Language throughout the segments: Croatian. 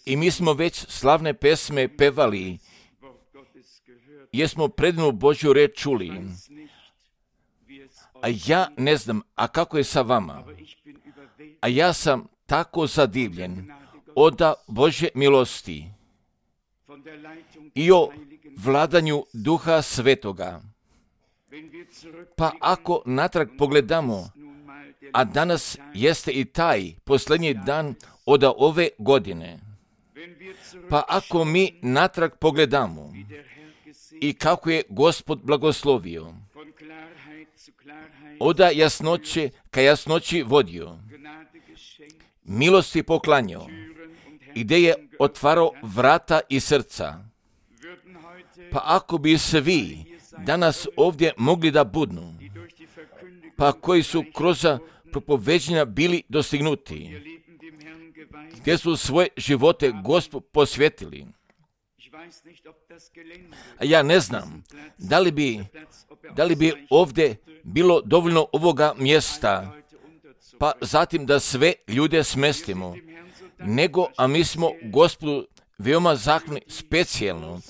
I mi smo već slavne pesme pevali, jer smo predivnu Božju reč čuli. A ja ne znam, a kako je sa vama? A ja sam tako zadivljen od Božje milosti i o vladanju Duha Svetoga. Pa ako natrag pogledamo, a danas jeste i taj posljednji dan od ove godine, pa ako mi natrag pogledamo i kako je Gospod blagoslovio, od jasnoće ka jasnoći vodio, milosti poklanjao, i gdje je otvarao vrata i srca. Pa ako bi svi danas ovdje mogli da budnu, pa koji su kroz propoveđenja bili dostignuti, gdje su svoje živote Gospodu posvetili. A ja ne znam, da li bi ovdje bilo dovoljno ovoga mjesta, pa zatim da sve ljude smestimo, nego, a mi smo Gospodu veoma zahvalni specijalno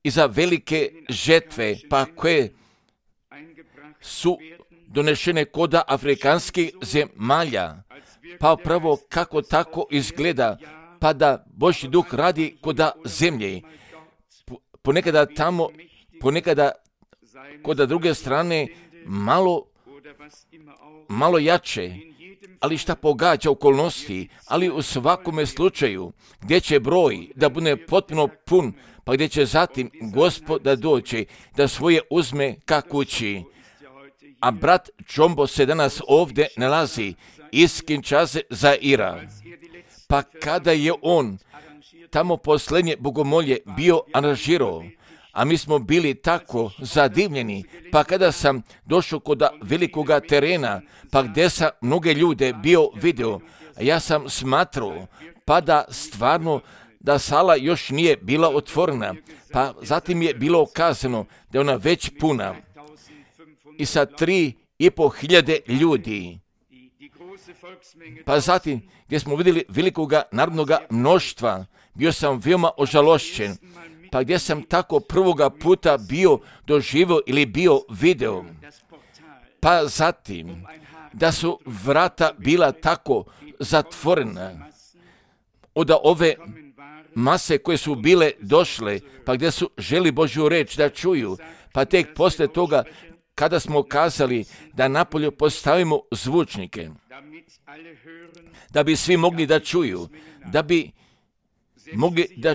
i za velike žetve, pa koje su donešene kod afrikanskih zemalja, pa pravo kako tako izgleda, pa da Božji duh radi kod zemlje, ponekada tamo, ponekada kod druge strane malo jače, ali šta pogađa okolnosti, ali u svakome slučaju gdje će broj da bude potpuno pun, pa gdje će zatim Gospod da dođe, da svoje uzme ka kući. A brat Čombo se danas ovdje nalazi iz Kinshase Zaira. Pa kada je on tamo posljednje bogomolje bio aranžirao, a mi smo bili tako zadivljeni, pa kada sam došao kod velikoga terena, pa gdje sam mnoge ljude bio video, ja sam smatrao, pa da stvarno da sala još nije bila otvorena, pa zatim je bilo kazano da je ona već puna i sa 3.500 ljudi. Pa zatim gdje smo vidjeli velikoga narodnoga mnoštva, bio sam veoma ožalošćen, pa gdje sam tako prvoga puta bio doživio ili bio video, pa zatim da su vrata bila tako zatvorena od ove mase koje su bile došle, pa gdje su želi Božju reč da čuju, pa tek poslije toga kada smo kazali da napolju postavimo zvučnike, da bi svi mogli da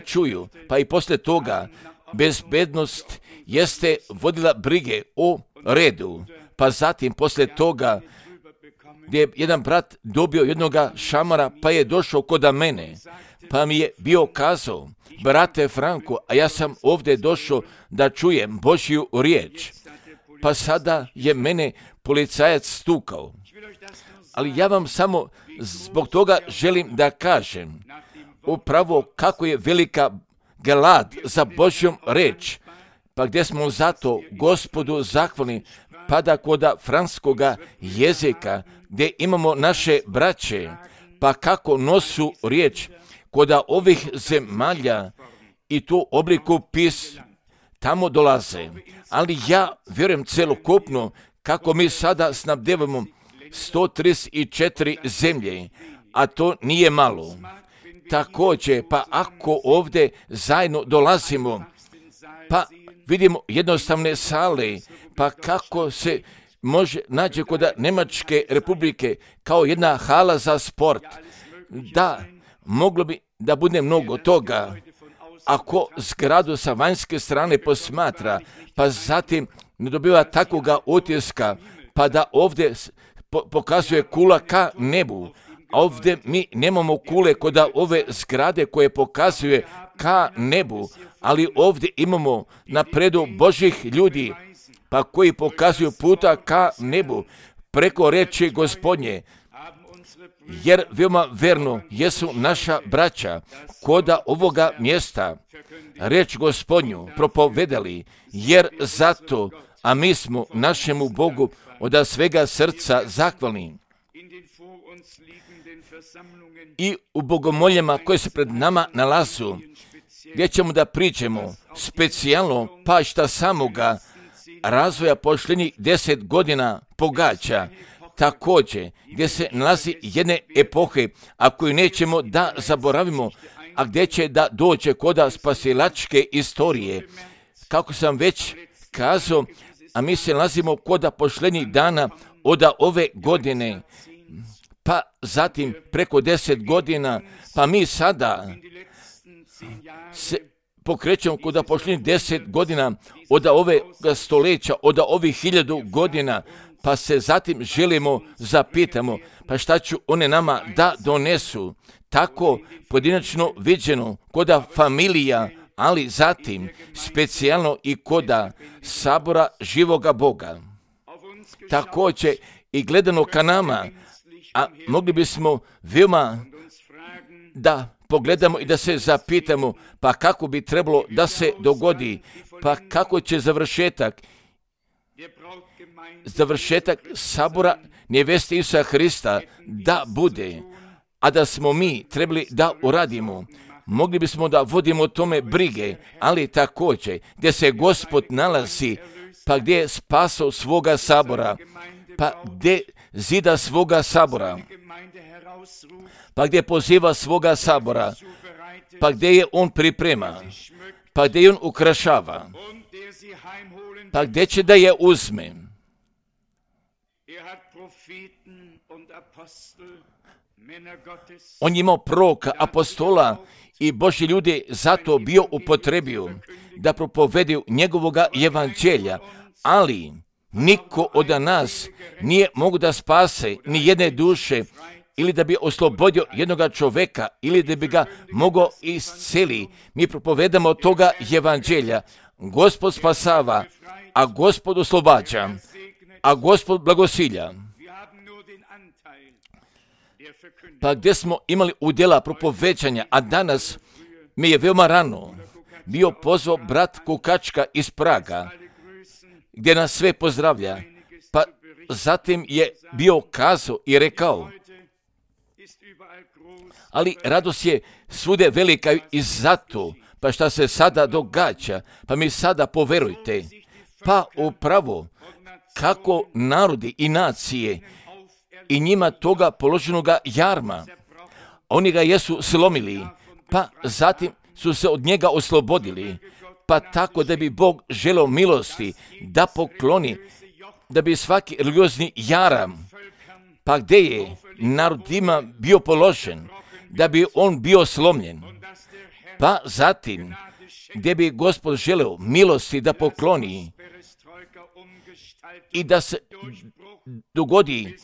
čuju, pa i poslije toga bezbednost jeste vodila brige o redu, pa zatim poslije toga gdje je jedan brat dobio jednoga šamara, pa je došao kod mene, pa mi je bio kazao, brate Franko, a ja sam ovdje došao da čujem Božju riječ, pa sada je mene policajac stukao. Ali ja vam samo zbog toga želim da kažem, upravo kako je velika glad za Božjom reč, pa gdje smo zato Gospodu zahvalni, pa da kod franskoga jezika, gdje imamo naše braće, pa kako nosu riječ kod ovih zemalja i tu obliku tamo dolaze. Ali ja vjerujem celokupno kako mi sada snabdevamo 134 zemlje, a to nije malo. Također, pa ako ovdje zajedno dolazimo, pa vidimo jednostavne sale, pa kako se može naći kod Njemačke republike kao jedna hala za sport, da moglo bi da bude mnogo toga. Ako zgradu sa vanjske strane posmatra, pa zatim ne dobiva takvoga utiska, pa da ovdje pokazuje kula ka nebu, a ovdje mi nemamo kule kod ove zgrade koje pokazuje ka nebu, ali ovdje imamo napredu Božih ljudi, pa koji pokazuju puta ka nebu, preko reči Gospodnje, jer veoma verno jesu naša braća koda ovoga mjesta reč Gospodnju propovedali, jer zato, a mi smo našemu Bogu od svega srca zahvalni. i u bogomoljama koje se pred nama nalazu, gdje ćemo da pričamo specijalno pa šta samoga razvoja posljednjih 10 godina pogađa, također gdje se nalazi jedne epohe, a koju nećemo da zaboravimo, a gdje će da dođe koda spasilačke istorije. Kako sam već kazao, a mi se nalazimo koda posljednjih dana od ove godine, pa zatim preko 10 godina, pa mi sada se pokrećemo koda posljednjih 10 godina od ove stoljeća, od ovih 1000 godina, pa se zatim želimo zapitamo, pa šta ću one nama da donesu, tako pojedinačno viđeno koda familija, ali zatim specijalno i koda sabora živoga Boga. Također i gledano ka nama, a mogli bismo veoma da pogledamo i da se zapitamo, pa kako bi trebalo da se dogodi, pa kako će završetak sabora neveste Isusa Hrista da bude, a da smo mi trebali da uradimo. Mogli bismo da vodimo o tome brige, ali također gdje se Gospod nalazi, pa gdje je spasao svoga sabora, pa gdje zida svoga sabora, pa gdje poziva svoga sabora, pa gdje je on priprema, pa gdje je on ukrašava, pa gdje će da je uzme. On je imao proroka, apostola i Božji ljudi zato bio upotrebio da propovedaju njegovoga evanđelja, ali niko od nas nije mogu da spase ni jedne duše ili da bi oslobodio jednoga čoveka ili da bi ga mogao isceli. Mi propovedamo toga evanđelja. Gospod spasava, a Gospod oslobađa, a Gospod blagosilja. Pa gdje smo imali udjela propoveđanja, a danas mi je veoma rano bio pozvao brat Kukačka iz Praga, gdje nas sve pozdravlja, pa zatim je bio kazao i rekao, ali radost je svude velika i zato, pa šta se sada događa, pa mi sada poverujte, pa upravo kako narodi i nacije i njima toga položenoga jarma, oni ga jesu slomili, pa zatim su se od njega oslobodili, pa tako da bi Bog želeo milosti da pokloni, da bi svaki religiozni jaram, pa gdje je narodima bio položen, da bi on bio slomljen, pa zatim gdje bi Gospod želeo milosti da pokloni i da se dogodi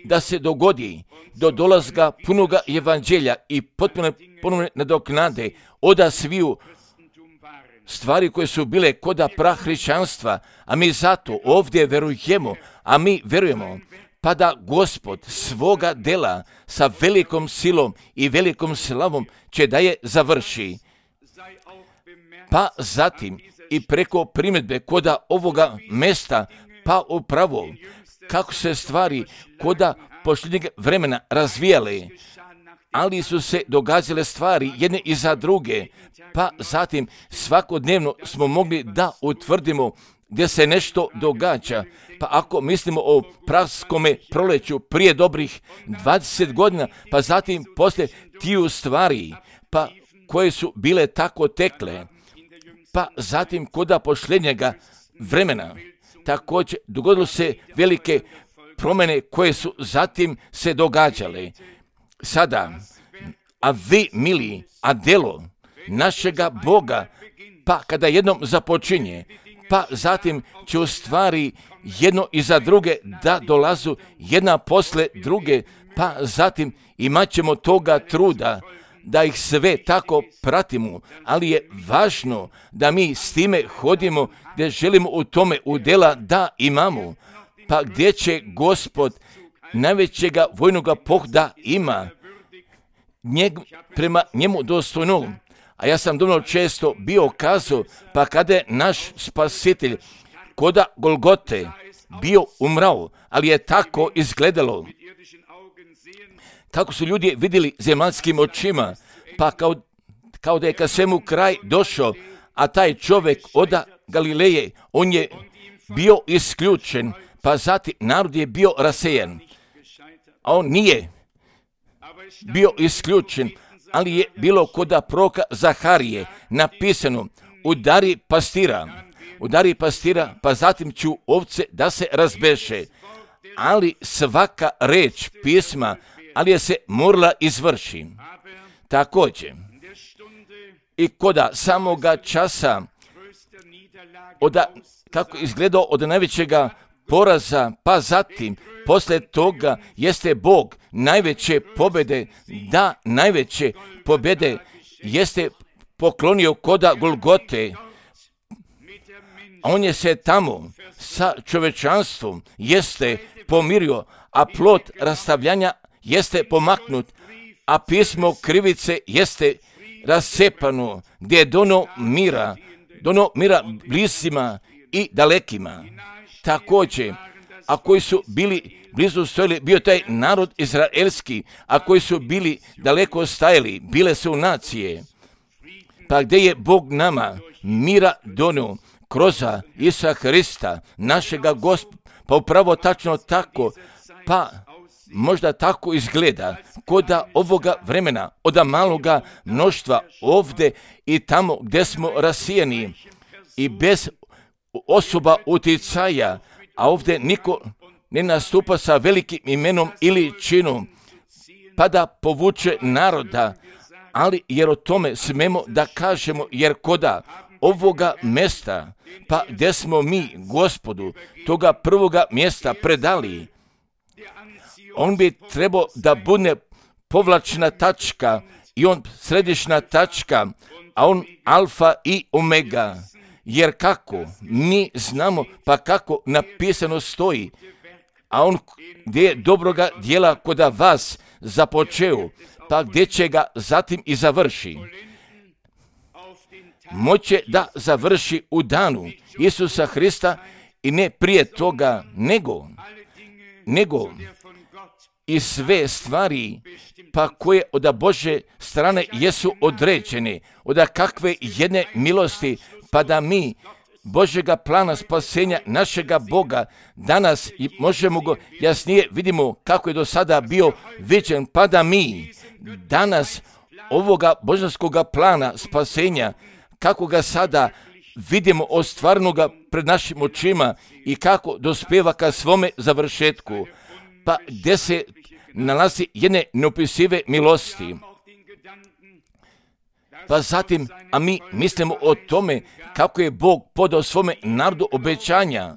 da se dogodi do dolaska punoga evanđelja i potpuno nadoknade oda sviju stvari koje su bile koda prahrišćanstva, a mi zato ovdje verujemo, a mi verujemo pa da Gospod svoga dela sa velikom silom i velikom slavom će da je završi. Pa zatim i preko primjedbe koda ovoga mesta, pa upravo kako se stvari koda posljednjeg vremena razvijale, ali su se događale stvari jedne iza druge, pa zatim svakodnevno smo mogli da utvrdimo gdje se nešto događa. Pa ako mislimo o praskome proleću prije dobrih 20 godina, pa zatim poslije tiju stvari, pa koje su bile tako tekle, pa zatim koda posljednjega vremena, također dogodilo se velike promjene koje su zatim se događale. Sada, a vi, mili, a delo našega Boga, pa kada jednom započinje, pa zatim će u stvari jedno iza druge da dolazu jedna posle druge, pa zatim imat ćemo toga truda da ih sve tako pratimo, ali je važno da mi s time hodimo gdje želimo u tome udjela da imamo, pa gdje će Gospod najvećega vojnoga pohda ima, prema njemu dostojno. A ja sam dovoljno često bio kazao, pa kada je naš spasitelj koda Golgote bio umrao, ali je tako izgledalo kako su ljudi vidjeli zemaljskim očima, pa kao da je ka svemu kraj došao, a taj čovjek od Galileje, on je bio isključen, pa zatim narod je bio rasejan, a on nije bio isključen, ali je bilo kod proroka Zaharije napisano: udari pastira, pa zatim ću ovce da se razbeše. Ali svaka reč pisma, ali je se morala izvrši. Također, i koda samoga časa, kako izgledao od najvećega poraza, pa zatim, posle toga jeste Bog najveće pobjede, da najveće pobjede jeste poklonio koda Golgote. On je se tamo sa čovečanstvom jeste pomirio, a plod rastavljanja jeste pomaknut, a pismo krivice jeste rascepano, gdje je dono mira blisima i dalekima. Također, a koji su bili blizu stojali, bio taj narod izraelski, a koji su bili daleko stajali, bile su nacije. Pa gdje je Bog nama mira donio kroz Isusa Hrista, našega Gospoda, pa upravo tačno tako, pa možda tako izgleda koda ovoga vremena, od maloga mnoštva ovdje i tamo gdje smo rasijeni i bez osoba uticaja, a ovdje niko ne nastupa sa velikim imenom ili činom, pa da povuče naroda, ali jer o tome smemo da kažemo, jer koda ovoga mjesta, pa gdje smo mi Gospodu toga prvoga mjesta predali, on bi trebao da bude povlačna tačka i on središnja tačka, a on alfa i omega. Jer kako mi znamo, pa kako napisano stoji, a on gdje je dobroga djela koda vas započeo, pa gdje će ga zatim i završi. Moće da završi u danu Isusa Hrista i ne prije toga, nego i sve stvari pa koje od Božje strane jesu određene, od kakve jedne milosti, pa da mi Božjega plana spasenja našega Boga danas i možemo go jasnije vidimo kako je do sada bio viđen, pa da mi danas ovoga božanskoga plana spasenja, kako ga sada vidimo ostvarnoga pred našim očima i kako dospeva ka svome završetku, pa gdje se nalazi jedne neopisive milosti. Pa zatim, a mi mislimo o tome kako je Bog podao svome narodu obećanja,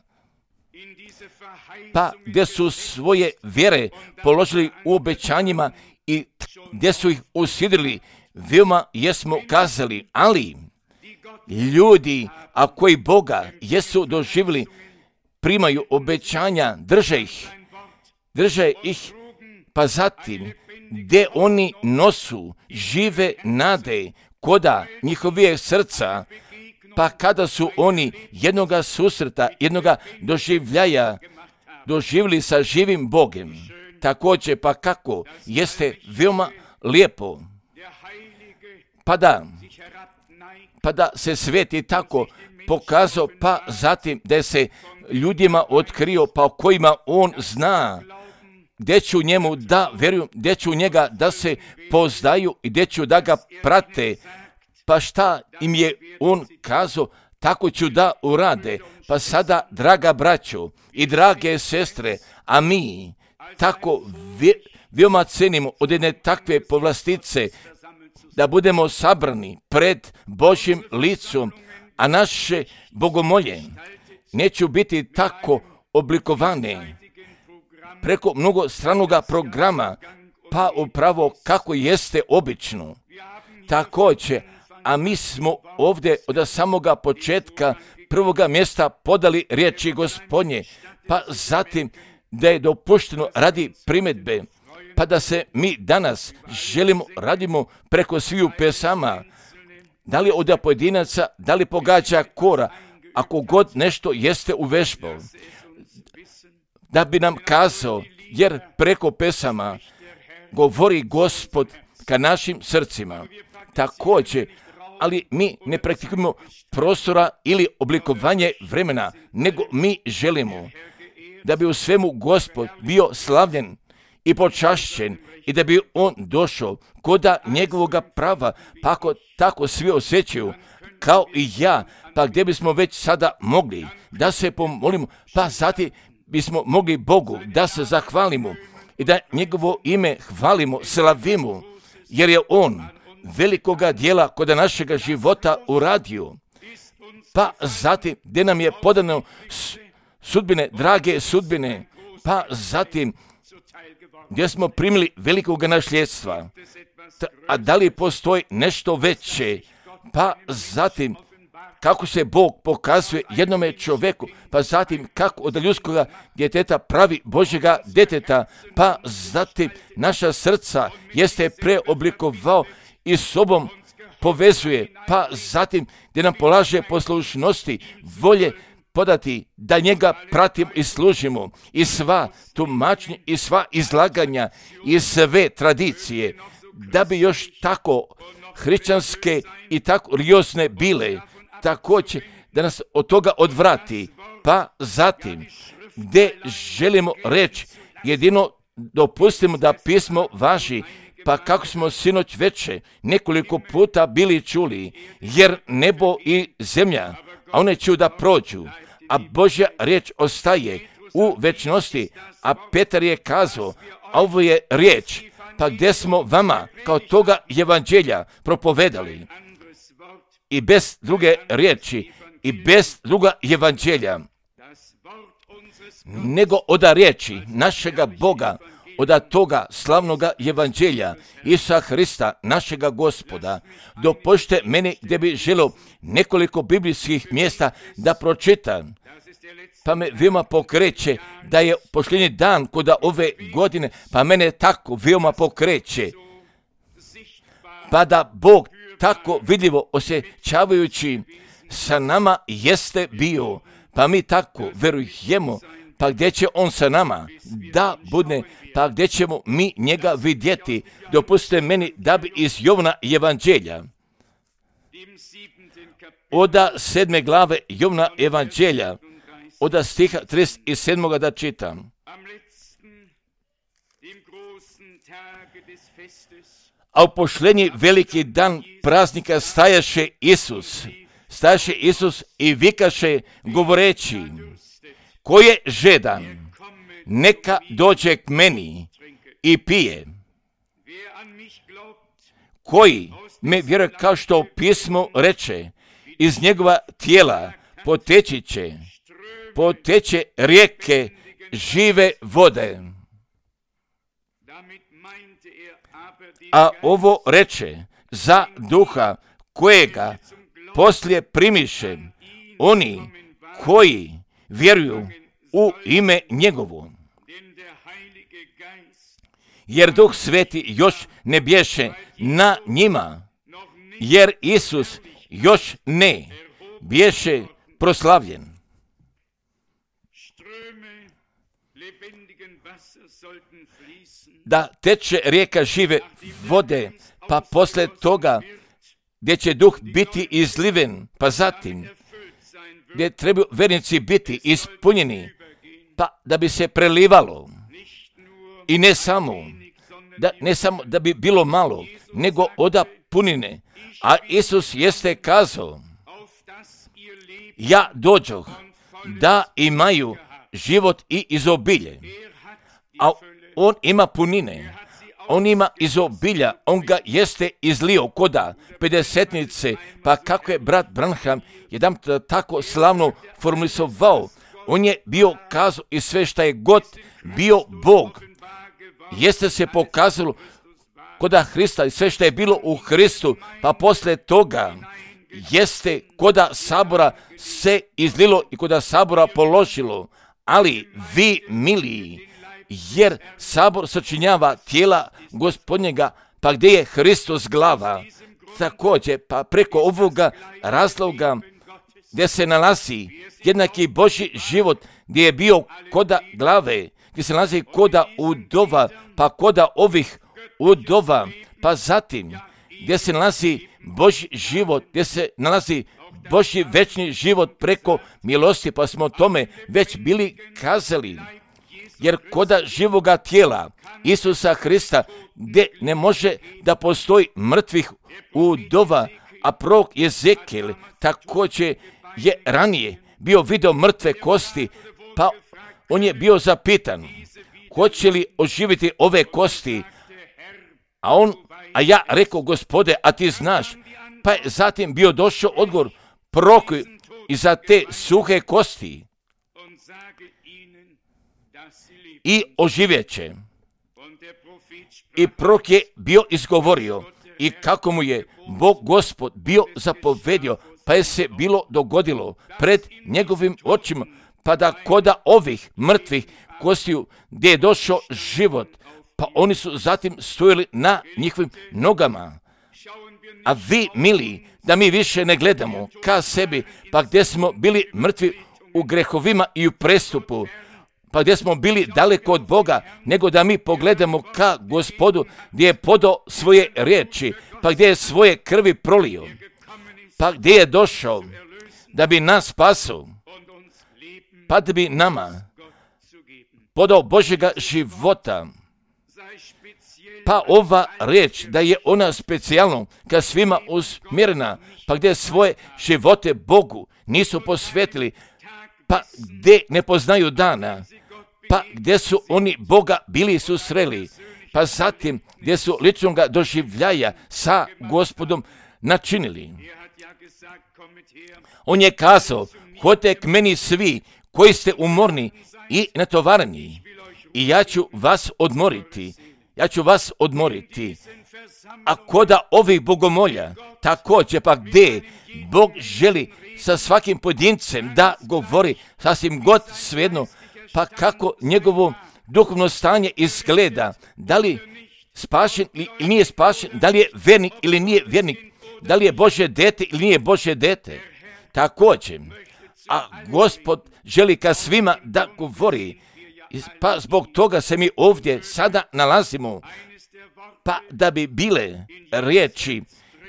pa gdje su svoje vjere položili u obećanjima i gdje su ih usidrili, veoma jesmo kazali, ali ljudi, a koji Boga jesu doživjeli, primaju obećanja, drže ih, pa zatim gdje oni nosu žive nade koda njihovih srca, pa kada su oni jednoga susreta, jednoga doživljaja doživjeli sa živim Bogem, također pa kako jeste veoma lijepo, pa da se sveti tako pokazao, pa zatim da se ljudima otkrio, pa o kojima on zna, gdje ću njemu da vjeruju, gdje ću njega da se poznaju i gdje ću da ga prate, pa šta im je on kazao, tako ću da urade. Pa sada, draga braćo i drage sestre, a mi tako veoma cenimo od jedne takve povlastice, da budemo sabrani pred Božjim licom, a naše bogomolje neće biti tako oblikovane preko mnogostranoga programa, pa upravo kako jeste obično. Također, a mi smo ovdje od samoga početka prvoga mjesta podali riječi Gospodnje, pa zatim da je dopušteno radi primjedbe, pa da se mi danas radimo preko sviju pesama, da li od pojedinaca, da li pogađa kora, ako god nešto jeste uvežbao, da bi nam kazao, jer preko pesama govori Gospod ka našim srcima. Također, ali mi ne praktikujemo prostora ili oblikovanje vremena, nego mi želimo da bi u svemu Gospod bio slavljen i počašćen i da bi on došao koda njegovoga prava, pa ako tako svi osjećaju, kao i ja, pa gdje bismo već sada mogli da se pomolimo, pa zatim bismo mogli Bogu da se zahvalimo i da njegovo ime hvalimo, slavimo, jer je on velikoga dijela kod našega života uradio. Pa zatim gdje nam je podano sudbine, drage sudbine, pa zatim gdje smo primili velikoga nasljedstva. A da li postoji nešto veće? Pa zatim kako se Bog pokazuje jednome čovjeku, pa zatim kako od ljudskoga djeteta pravi Božjega djeteta, pa zatim naša srca jeste preoblikovao i sobom povezuje, pa zatim gdje nam polaže poslušnosti, volje podati da njega pratimo i služimo, i sva tumačenja i sva izlaganja i sve tradicije, da bi još tako hrišćanske i tako riosne bile, također da nas od toga odvrati. Pa zatim gdje želimo reći, jedino dopustimo da pismo važi, pa kako smo sinoć veče nekoliko puta bili čuli, jer nebo i zemlja, a one će da prođu, a Božja riječ ostaje u večnosti, a Petar je kazao, a ovo je riječ, pa gdje smo vama kao toga evanđelja propovedali, i bez druge riječi, i bez druga evanđelja, nego od riječi našega Boga, od toga slavnoga evanđelja Isusa Hrista, našega Gospoda. Dopustite meni gdje bi želio nekoliko biblijskih mjesta da pročitam, pa me veoma pokreće da je posljednji dan kod ove godine, pa mene tako veoma pokreće, pa da Bog tako vidljivo osjećavajući sa nama jeste bio, pa mi tako verujemo, pa gdje će on sa nama da bude, pa gdje ćemo mi njega vidjeti. Dopustite meni da bi iz Jovna evanđelja, od 7. glave Jovna evanđelja, od stiha 37. da čitam. A u posljednji veliki dan praznika stajaše Isus i vikaše govoreći, ko je žedan, neka dođe k meni i pije. Koji me vjeruje, kao što pismo reče, iz njegova tijela poteče rijeke žive vode. A ovo reče za duha kojega poslije primiše oni koji vjeruju u ime njegovo. Jer Duh Sveti još ne bješe na njima, jer Isus još ne bješe proslavljen. Da teče rijeka žive vode, pa posle toga gdje će Duh biti izliven, pa zatim gdje trebaju vernici biti ispunjeni, pa da bi se prelivalo. I ne samo da bi bilo malo, nego oda punine. A Isus jeste kazao, ja dođoh da imaju život i izobilje. A on ima punine, on ima izobilja, on ga jeste izlio koda pedesetnice, pa kako je brat Branham jedan tako slavno formulisovao, on je bio kazao i sve šta je god bio Bog, jeste se pokazalo koda Hrista i sve što je bilo u Hristu, pa posle toga jeste koda sabora se izlilo i koda sabora položilo, ali vi miliji, jer sabor sačinjava tijela Gospodnjega, pa gdje je Hristos glava, također pa preko ovoga razloga gdje se nalazi jednaki Božji život, gdje je bio koda glave, gdje se nalazi koda udova, pa koda ovih udova, pa zatim gdje se nalazi Božji život, gdje se nalazi Božji večni život preko milosti, pa smo o tome već bili kazali. Jer koda živoga tijela Isusa Hrista, gdje ne može da postoji mrtvih udova, a prorok Jezekijel također je ranije bio vidio mrtve kosti, pa on je bio zapitan, hoće li oživiti ove kosti? A ja rekao, Gospode, a ti znaš. Pa je zatim bio došao odgovor proroku i za te suhe kosti i oživjet će. I prorok je bio izgovorio i kako mu je Bog Gospod bio zapovedio, pa je se bilo dogodilo pred njegovim očima, pa da koda ovih mrtvih kostiju gdje je došao život, pa oni su zatim stojili na njihovim nogama. A vi, mili, da mi više ne gledamo ka sebi, pa gdje smo bili mrtvi u grehovima i u prestupu, pa gdje smo bili daleko od Boga, nego da mi pogledamo ka Gospodu gdje je podao svoje riječi, pa gdje je svoje krvi prolio, pa gdje je došao da bi nas spasao, pa da bi nama podao Božjega života. Pa ova riječ da je ona specijalno ka svima usmjerena, pa gdje svoje živote Bogu nisu posvetili, pa gdje ne poznaju dana, pa gdje su oni Boga bili susreli, pa zatim gdje su ličnog doživljaja sa Gospodom načinili. On je kazao, hodite k meni svi koji ste umorni i natovareni i ja ću vas odmoriti. A koda ovih bogomolja, također pa gdje Bog želi sa svakim pojedincem da govori sasvim god svejedno, pa kako njegovo duhovno stanje izgleda, da li spašen ili nije spašen, da li je vjernik ili nije vjernik, da li je Božje dete ili nije Božje dete. Također, a Gospod želi ka svima da govori, pa zbog toga se mi ovdje sada nalazimo, pa da bi bile riječi,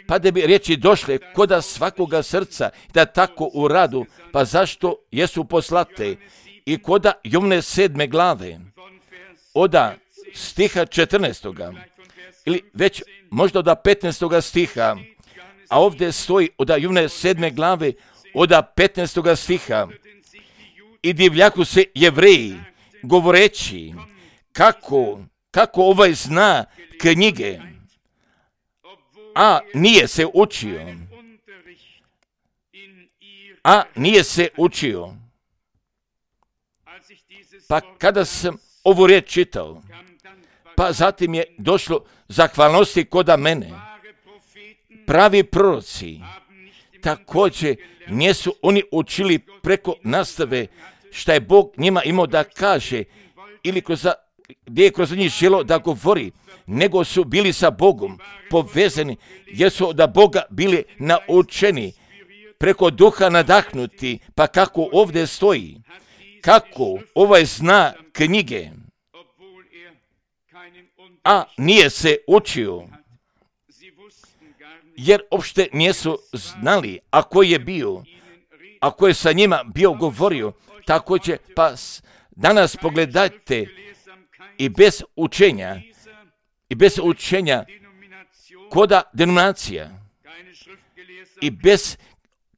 pa da bi riječi došle koda svakoga srca, da tako u radu, pa zašto jesu poslate, i koda Jovne 7. glave, oda stiha 14. ili već možda oda 15. stiha, a ovdje stoji oda Jovne 7. glave, oda 15. stiha, i divljaku se Jevreji, govoreći kako ovaj zna knjige, a nije se učio. Pa kada sam ovu riječ čitao, pa zatim je došlo zahvalnosti koda mene. Pravi proroci, također nisu oni učili preko nastave šta je Bog njima imao da kaže ili gdje je kroz njih želo da govori, nego su bili sa Bogom povezani, jer su da Boga bili naučeni, preko duha nadahnuti, pa kako ovdje stoji, kako ovaj zna knjige, a nije se učio, jer uopšte nisu znali, a koji je bio, a koji je sa njima bio govorio. Također, pa danas pogledajte i bez učenja koda denominacija i bez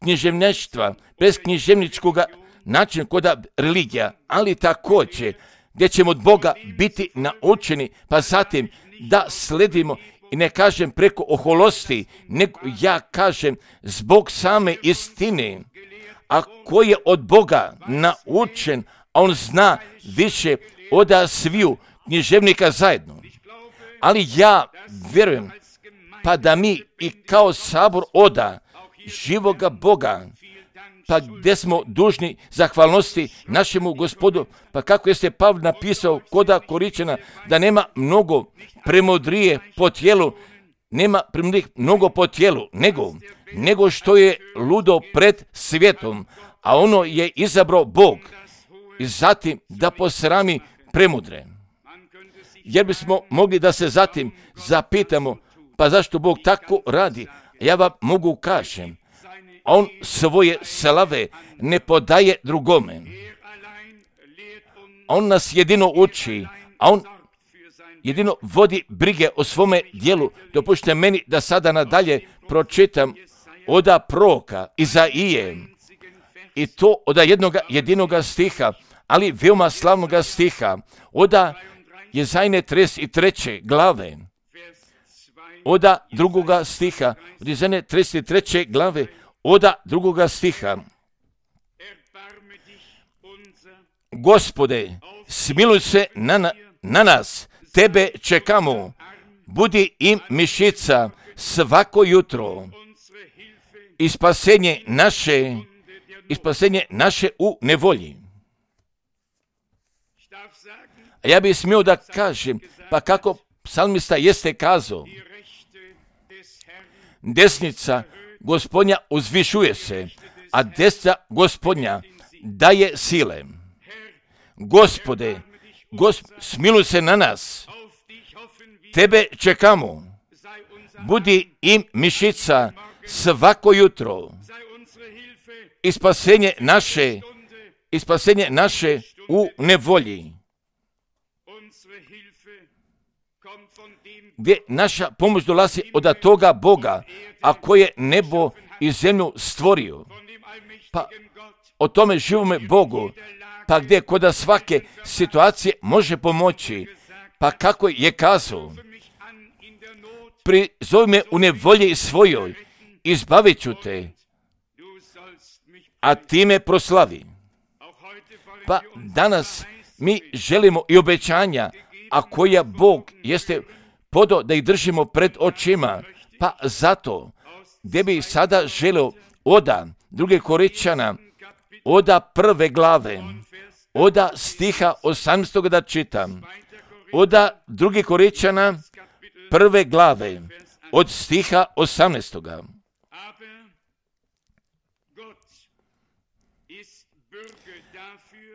književništva, bez književničkog načina koda religija, ali također gdje ćemo od Boga biti naučeni, pa zatim da sledimo, i ne kažem preko oholosti, nego ja kažem zbog same istine. A ko je od Boga naučen, a on zna više od sviju književnika zajedno. Ali ja vjerujem, pa da mi i kao sabor oda živoga Boga, pa gdje smo dužni zahvalnosti našemu Gospodu, pa kako jeste Pavle napisao koda Koričana, da nema mnogo premudrije po tijelu, nema premudrije mnogo po tijelu, nego što je ludo pred svijetom, a ono je izabrao Bog i zatim da posrami premudre. jer bismo mogli da se zatim zapitamo, pa zašto Bog tako radi? Ja vam mogu kažem, on svoje slave ne podaje drugome. On nas jedino uči, a on jedino vodi brige o svome dijelu. Dopušte meni da sada nadalje pročitam od proroka Izaije, i to od jedinoga stiha, ali veoma slavnoga stiha, od Jezajne 33. glave, od drugoga stiha, od Jezajne 33. glave, od drugoga stiha. Gospode, smiluj se na nas, tebe čekamo, budi im mišica svako jutro i spasenje naše u nevolji. A ja bih smio da kažem, pa kako psalmista jeste kazao, desnica Gospodnja uzvišuje se, a desna Gospodnja daje sile. Gospode, smiluj se na nas, tebe čekamo, budi im mišica svako jutro i spasenje naše u nevolji. Gdje naša pomoć dolazi od toga Boga, a koji je nebo i zemlju stvorio. Pa o tome živome Bogu, pa gdje kod svake situacije može pomoći, pa kako je kazao, prizovi me u nevolji svojoj, izbavit ću te, a ti me proslavi. Pa danas mi želimo i obećanja, a koja Bog jeste podao da ih držimo pred očima, pa zato gdje bi sada želio od 2. Korinćana, od 1. glave, od stiha 18. da čitam, od 2. Korinćana 1. glave, od stiha 18.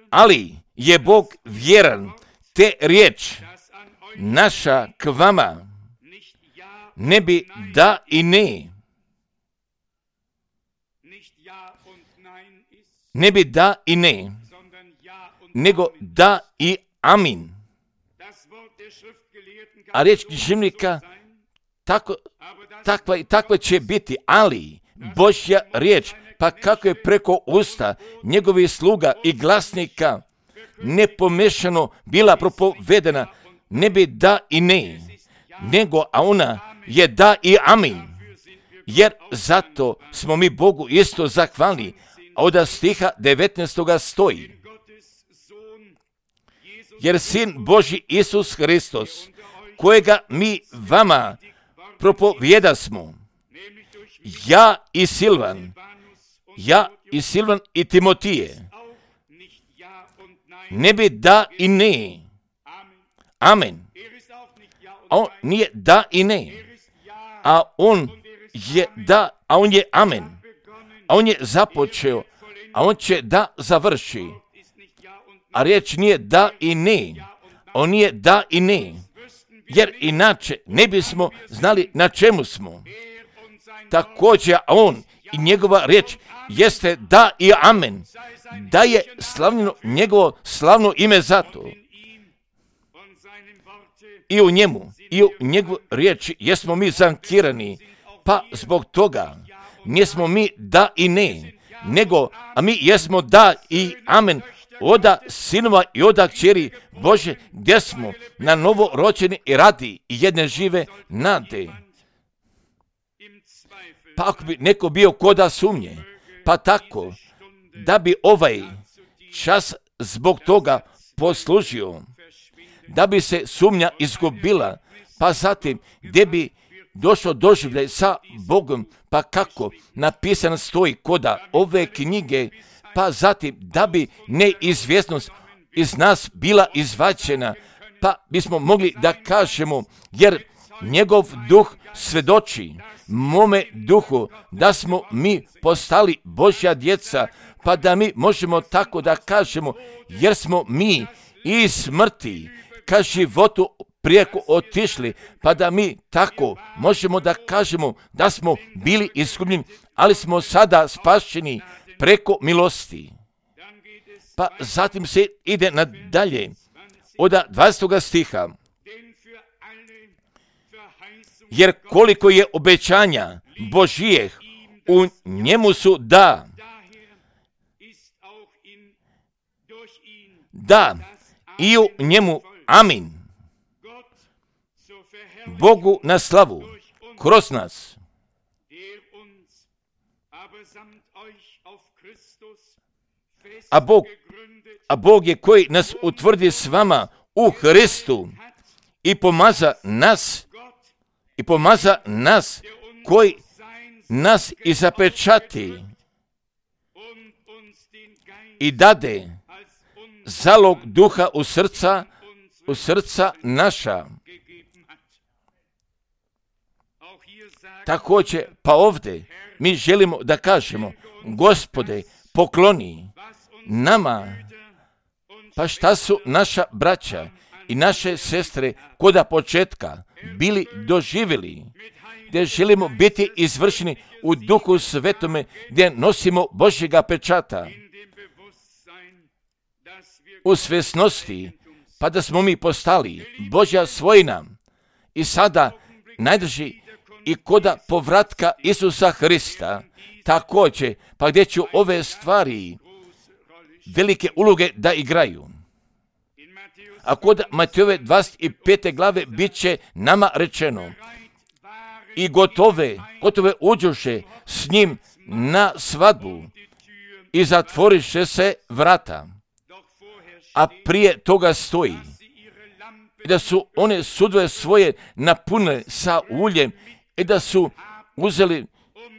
Ali je Bog vjeran, te riječ naša k vama ne bi da i ne. Ne bi da i ne, nego da i amin. A riječ književnika takva će biti, ali Božja riječ, pa kako je preko usta njegovih sluga i glasnika nepomešano bila propovedena, ne bi da i ne, nego a ona je da i amin. Jer zato smo mi Bogu isto zahvalni, a od stiha 19. stoji. Jer Sin Božji Isus Hristos, kojega mi vama propovjedasmo, ja i Silvan i Timotije, ne bi da i ne. Amen. A on nije da i ne. A on je da, a on je amen. A on je započeo, a on će da završi. A riječ nije da i ne. On nije da i ne. Jer inače ne bismo znali na čemu smo. Također on i njegova riječ jeste da i amen. Da je slavljeno njegovo slavno ime zato. I u njemu, i u njegovu riječi jesmo mi zankirani, pa zbog toga nismo mi da i ne, nego a mi jesmo da i amen od sinova i od kćeri Bože, gdje smo na novo rođeni i radi i jedne žive nade. Pa ako bi neko bio koda sumnje, pa tako da bi ovaj čas zbog toga poslužio, da bi se sumnja izgubila, pa zatim gdje bi došlo doživljaj sa Bogom, pa kako napisan stoji koda ove knjige, pa zatim da bi neizvjesnost iz nas bila izvađena, pa bismo mogli da kažemo, jer njegov duh svedoči mome duhu da smo mi postali Božja djeca, pa da mi možemo tako da kažemo, jer smo mi iz smrti ka životu prijeko otišli, pa da mi tako možemo da kažemo da smo bili izgubljeni, ali smo sada spašeni preko milosti. Pa zatim se ide nadalje od 20. stiha. Jer koliko je obećanja Božijeh, u njemu su da i u njemu amin. Bogu na slavu kroz nas. A Bog je koji nas utvrdi s vama u Hristu i pomaza nas koji nas i zapečati i dade zalog duha u srca naša. Također, pa ovdje mi želimo da kažemo, Gospode, pokloni nama, pa šta su naša braća i naše sestre koda početka bili doživjeli, gdje želimo biti izvršeni u Duhu Svetome, gdje nosimo Božjega pečata u svjesnosti, pa da smo mi postali Božja svojina i sada najdrži i koda povratka Isusa Hrista, također, pa gdje ću ove stvari velike uloge da igraju. A kod Matejove 25. glave bit će nama rečeno i gotove uđoše s njim na svadbu i zatvoriše se vrata. A prije toga stoji da su one sudove svoje napunile sa uljem i da su uzeli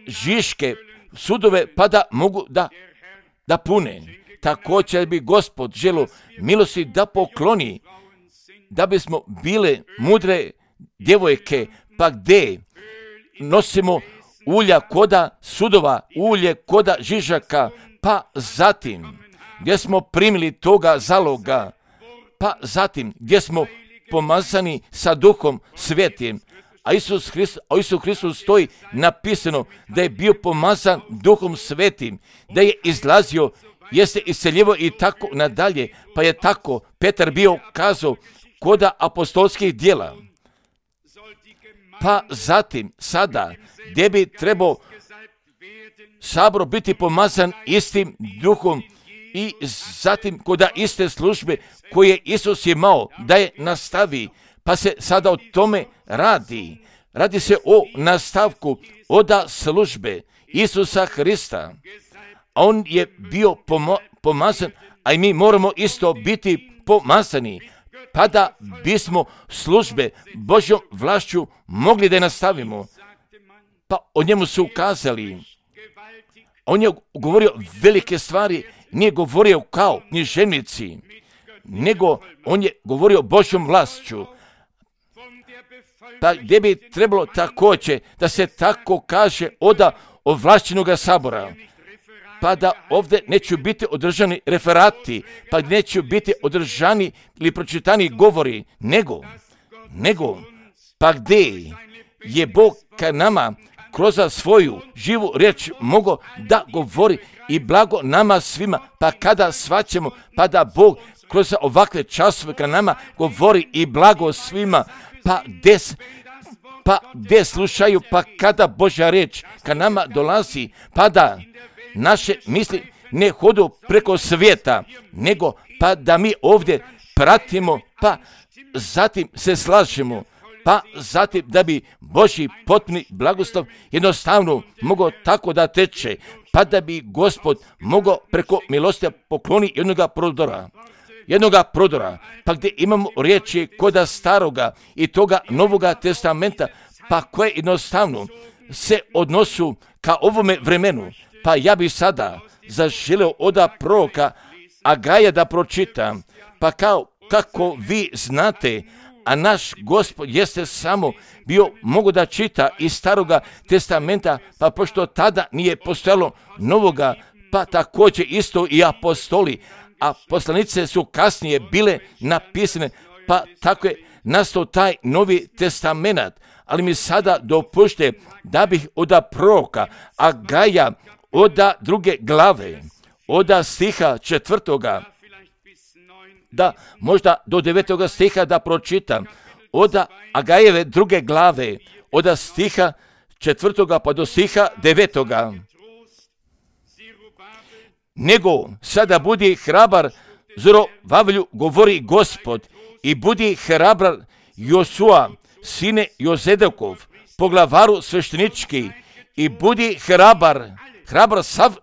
žiške sudove pa da mogu da pune. Također bi Gospod želio milosti da pokloni, da bismo bile mudre djevojke, pa gdje nosimo ulja koda sudova, ulje koda žižaka, pa zatim gdje smo primili toga zaloga, pa zatim gdje smo pomazani sa Duhom Svetim, a Isus Hristos stoji napisano da je bio pomazan Duhom Svetim, da je izlazio, jeste iseljivo i tako nadalje, pa je tako Petar bio kazao koda apostolskih djela. Pa zatim sada gdje bi trebao sabor biti pomazan istim Duhom i zatim koda iste službe koje Isus imao da je nastavi, pa se sada o tome radi. Radi se o nastavku oda službe Isusa Hrista. A on je bio pomazan, a i mi moramo isto biti pomazani, pa da bismo službe Božjom vlašću mogli da je nastavimo. Pa o njemu su ukazali. On je govorio velike stvari, nije govorio kao književnici, nego on je govorio Božjom vlašću. Pa gdje bi trebalo također da se tako kaže oda ovlašćenoga sabora, pa da ovdje neće biti održani referati, pa neće biti održani ili pročitani govori, nego pa gdje je Bog ka nama kroz svoju živu riječ mogao da govori i blago nama svima, pa kada shvaćamo, pa da Bog kroz ovakve časove ka nama govori i blago svima, pa gdje slušaju, pa kada Božja riječ ka nama dolazi, pa da naše misli ne hodu preko svijeta, nego pa da mi ovdje pratimo, pa zatim se slažemo, pa zatim da bi Božji potpuni blagoslov jednostavno mogao tako da teče, pa da bi Gospod mogao preko milosti pokloni jednoga prodora, pa gdje imamo riječi koda staroga i toga Novoga testamenta, pa koje jednostavno se odnosu ka ovome vremenu. Pa ja bi sada zaželio oda proroka Agaja da pročitam, pa kako vi znate, a naš Gospod jeste samo bio mogu da čita iz Staroga testamenta, pa pošto tada nije postojalo Novoga, pa također isto i apostoli, a poslanice su kasnije bile napisane, pa tako je nastao taj Novi testament, ali mi sada dopušte da bih od proroka Agaja od 2. glave, od stiha 4. da možda do 9. stiha da pročitam, od Agajeve 2. glave, od stiha 4. pa do stiha 9. Nego sada budi hrabar, Zorobavlju, govori Gospod, i budi hrabar Josua, sine Jozedekov, poglavaru sveštenički, i budi hrabar sav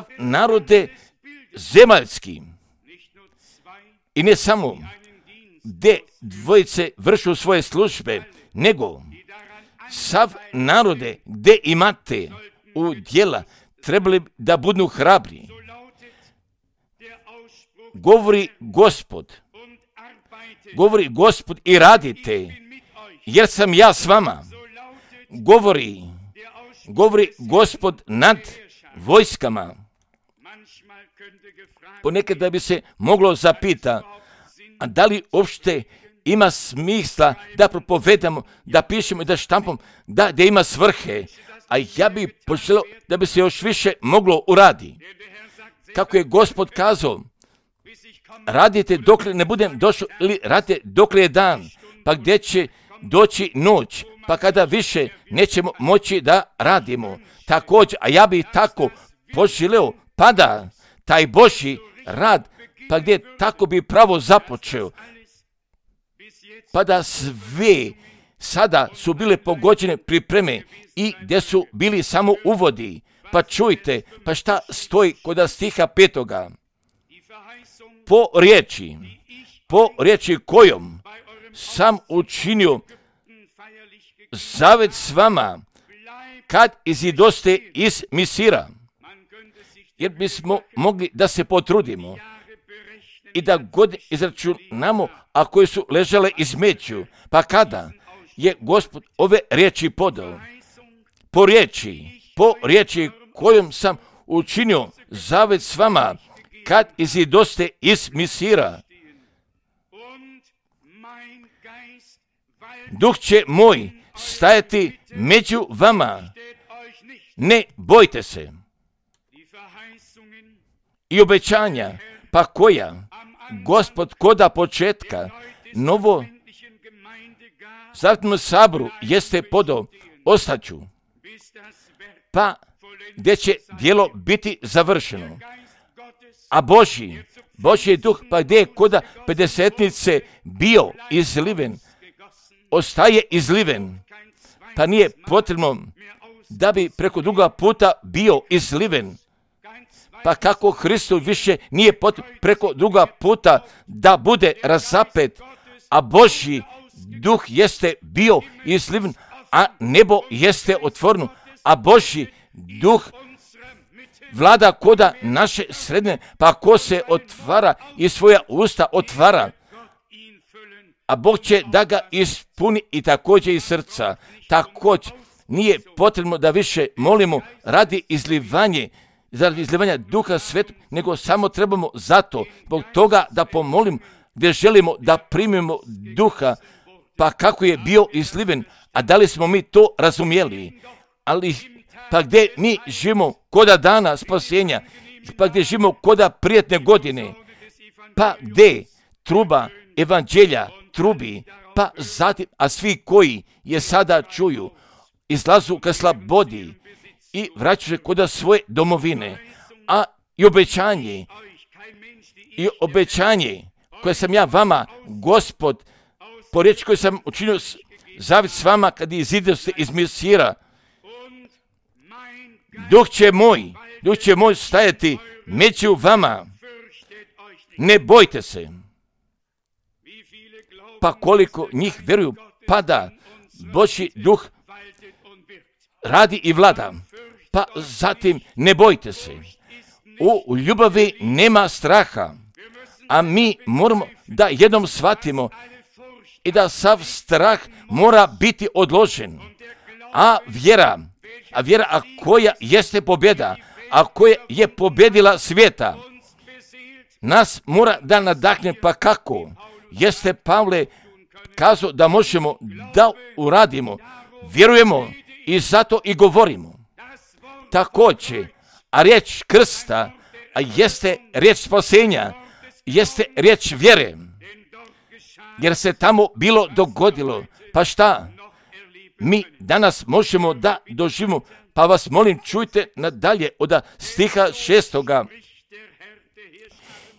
narode zemaljski. I ne samo gdje dvojice vršu svoje službe, nego sav narode gdje imate u djela, trebali da budu hrabri. Govori Gospod i radite, jer sam ja s vama. Govori Gospod nad vojskama. Ponekad da bi se moglo zapita, a da li uopšte ima smisla da propovedamo, da pišemo i da štampamo, da ima svrhe, a ja bi poželio da bi se još više moglo uraditi. Kako je Gospod kazao, radite dok ne budem došao, ili radite dok je dan, pa gdje će doći noć, pa kada više nećemo moći da radimo. Također, a ja bi tako poželio, pa da taj Božji rad, pa gdje tako bi pravo započeo, pa da sve sada su bile pogođene pripreme i gdje su bili samo uvodi. Pa čujte, pa šta stoji kod stiha 5. Po riječi kojom sam učinio zavet s vama kad izidoste iz Misira. Jer bismo mogli da se potrudimo i da godine izračunamo, a koje su ležale između. Pa kada je Gospod ove riječi podao? Po riječi kojom sam učinio zavet s vama kad izidoste iz Misira. Duh će moj stajati među vama. Ne bojte se. I obećanja, pa koja Gospod koda početka novo Zavjetnom saboru jeste podao, ostaću, pa gdje će djelo biti završeno. A Božji duh, pa gdje je koda pedesetnice bio izliven, ostaje izliven, pa nije potrebno da bi preko druga puta bio izliven. Pa kako Hristu više nije potrebno preko druga puta da bude razapet, a Božji duh jeste bio izliven, a nebo jeste otvoreno, a Božji duh vlada koda naše sredine, pa ko se otvara i svoja usta otvara, a Bog će da ga ispuni i također iz srca. Također nije potrebno da više molimo radi izlivanja Duha Svetog, nego samo trebamo zato, zbog toga da pomolimo, gdje želimo da primimo Duha, pa kako je bio izliven, a da li smo mi to razumjeli? Ali pa gdje mi živimo koda dana spasenja, pa gdje živimo koda prijetne godine, pa gdje truba evanđelja trubi, pa zatim, a svi koji je sada čuju, izlazu ka slobodi i vraćaju se koda svoje domovine, a i obećanje koje sam ja vama, Gospod, po riječi koju sam učinio zavet s vama kad izidoste iz Misira, Duh će moj stajati među vama, ne bojte se. Pa koliko njih vjeruju, pada Božji duh radi i vlada, pa zatim ne bojte se. U ljubavi nema straha, a mi moramo da jednom shvatimo i da sav strah mora biti odložen. A vjera koja jeste pobjeda, a koja je pobjedila svijeta, nas mora da nadahne, pa kako? jeste Pavle kazao da možemo da uradimo. Vjerujemo i zato i govorimo. Također, a riječ krsta jeste riječ spasenja, jeste riječ vjere. Jer se tamo bilo dogodilo. Pa šta? Mi danas možemo da doživimo. Pa vas molim, čujte nadalje od stiha 6.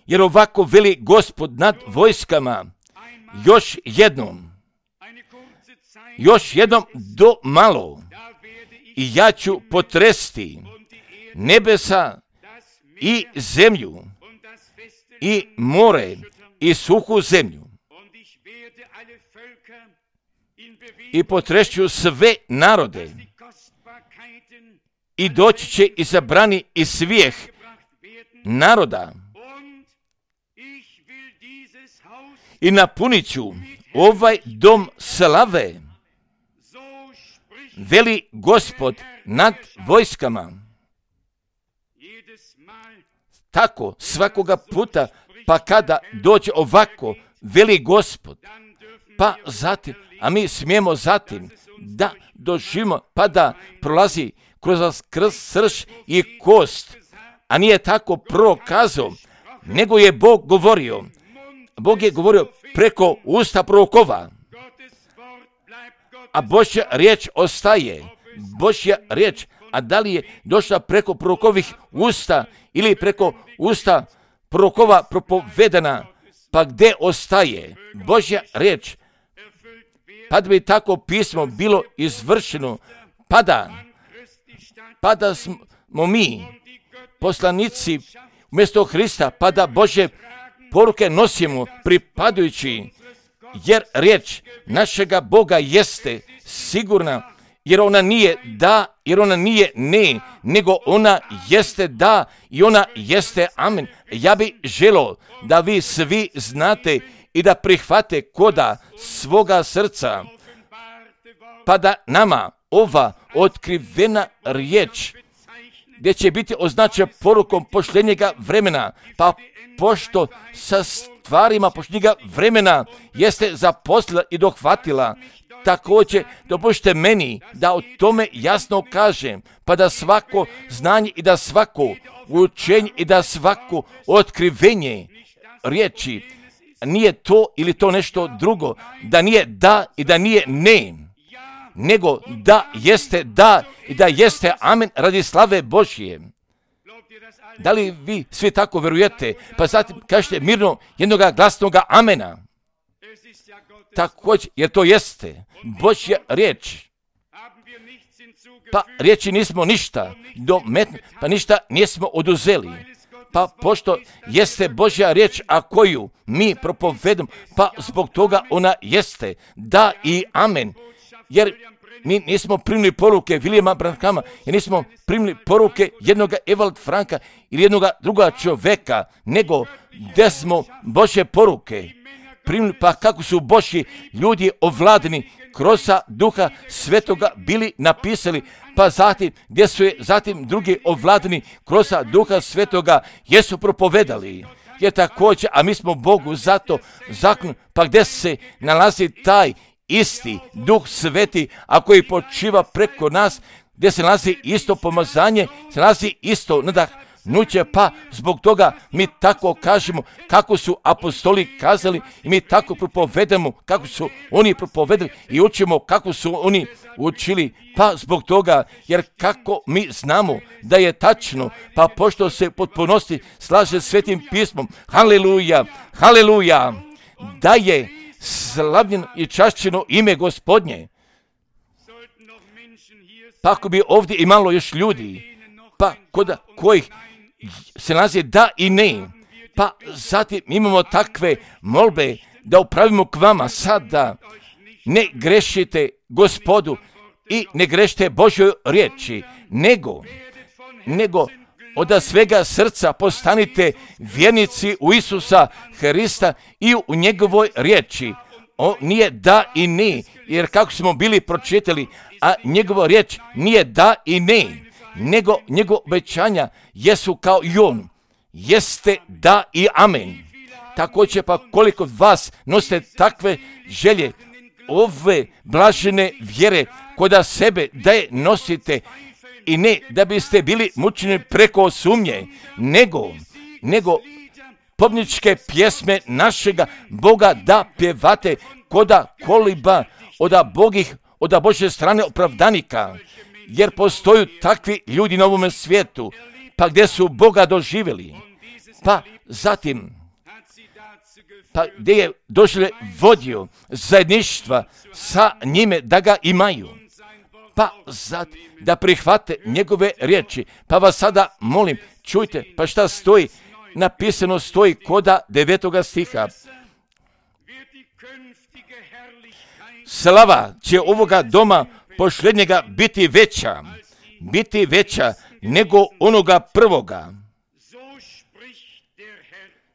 Jer ovako veli Gospod nad vojskama, još jednom do malo, i ja ću potresti nebesa i zemlju i more i suhu zemlju i potrešću sve narode i doći će izabrani i svijeh naroda i napunit ću ovaj dom slave, veli Gospod nad vojskama. Tako svakoga puta, pa kada dođe ovako, veli Gospod, pa zatim, a mi smijemo zatim da doživimo, pa da prolazi kroz srž i kost, a nije tako prokazao, nego je Bog govorio. Bog je govorio preko usta prorokova, a Božja riječ ostaje. Božja riječ, a da li je došla preko prorokovih usta ili preko usta prorokova propovedana, pa gdje ostaje Božja riječ? Pa da bi tako pismo bilo izvršeno, pa da smo mi poslanici umjesto Hrista, pa da Božje poruke nosimo pripadajući, jer riječ našega Boga jeste sigurna, jer ona nije da, jer ona nije ne, nego ona jeste da i ona jeste amen. Ja bih želio da vi svi znate i da prihvate koda svoga srca, pa da nama ova otkrivena riječ, gdje će biti označena porukom pošljenjega vremena, pa pošto sa stvarima pošljenjega vremena jeste zaposlila i dohvatila, također dopušte meni da o tome jasno kažem, pa da svako znanje i da svako učenje i da svako otkrivenje riječi nije to ili to nešto drugo, da nije da i da nije ne, nego da jeste da i da jeste amen radi slave Božje. Da li vi svi tako vjerujete? Pa zatim kažete mirno jednoga glasnoga amena. Također, jer to jeste Božja riječ. Pa riječi nismo ništa dometnuli, pa ništa nismo oduzeli. Pa pošto jeste Božja riječ, a koju mi propovedamo, pa zbog toga ona jeste da i amen. Jer mi nismo primili poruke Williama Branhama, jer nismo primili poruke jednoga Evald Franka ili jednoga druga čovjeka, nego gdje smo Božje poruke primili, pa kako su Božji ljudi ovladani kroz Duha Svetoga bili napisali, pa zatim gdje su je zatim drugi ovladani kroz Duha Svetoga jesu propovedali. Je također, a mi smo Bogu zato zakon, pa gdje se nalazi taj isti Duh Sveti, a koji počiva preko nas, gdje se nalazi isto pomazanje, se nalazi isto nadahnuće, pa zbog toga mi tako kažemo kako su apostoli kazali i mi tako propovedamo kako su oni propovedali i učimo kako su oni učili, pa zbog toga, jer kako mi znamo da je tačno, pa pošto se potpunosti slaže Svetim pismom, haleluja, haleluja, da je slavljeno i čašćeno ime Gospodnje. Pa ako bi ovdje imalo još ljudi, pa kod kojih se nalazi da i ne, pa zatim imamo takve molbe da upravimo k vama sada, ne grešite Gospodu i ne grešite Božjoj riječi, nego od svega srca postanite vjernici u Isusa Hrista i u njegovoj riječi. On nije da i ne, jer kako smo bili pročitali, a njegova riječ nije da i ne, nego njegova obećanja jesu kao i on, jeste da i amen. također pa koliko vas nosite takve želje, ove blažene vjere koda sebe da je nosite i ne da biste bili mučeni preko sumnje, nego pobjedničke pjesme našega Boga da pjevate koda koliba od Božje strane opravdanika, jer postoju takvi ljudi na ovome svijetu, pa gdje su Boga doživjeli, pa zatim pa gdje je doživlje vodio zajedništva sa njime da ga imaju, pa zatim da prihvate njegove riječi. Pa vas sada molim, čujte, pa šta stoji, napisano stoji koda 9. stiha. Slava će ovoga doma posljednjega biti veća nego onoga prvoga.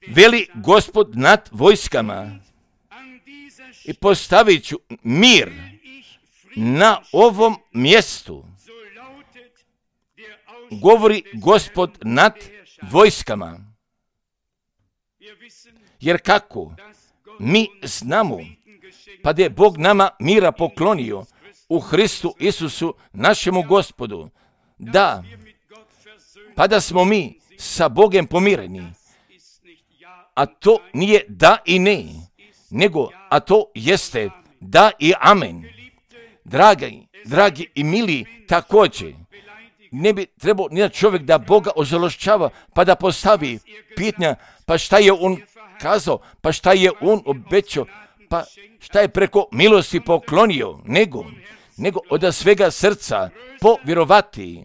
Veli Gospod nad vojskama, i postavit ću mir na ovom mjestu, govori Gospod nad vojskama. Jer kako mi znamo, pa da je Bog nama mira poklonio u Hristu Isusu našemu Gospodu, da, pa da smo mi sa Bogom pomireni, a to nije da i ne, nego, a to jeste da i amen. Dragi i mili, također, ne bi trebao nijedan čovjek da Boga ožalošćava, pa da postavi pitanja, pa šta je on kazao, pa šta je on obećao, pa šta je preko milosti poklonio, nego od svega srca povjerovati.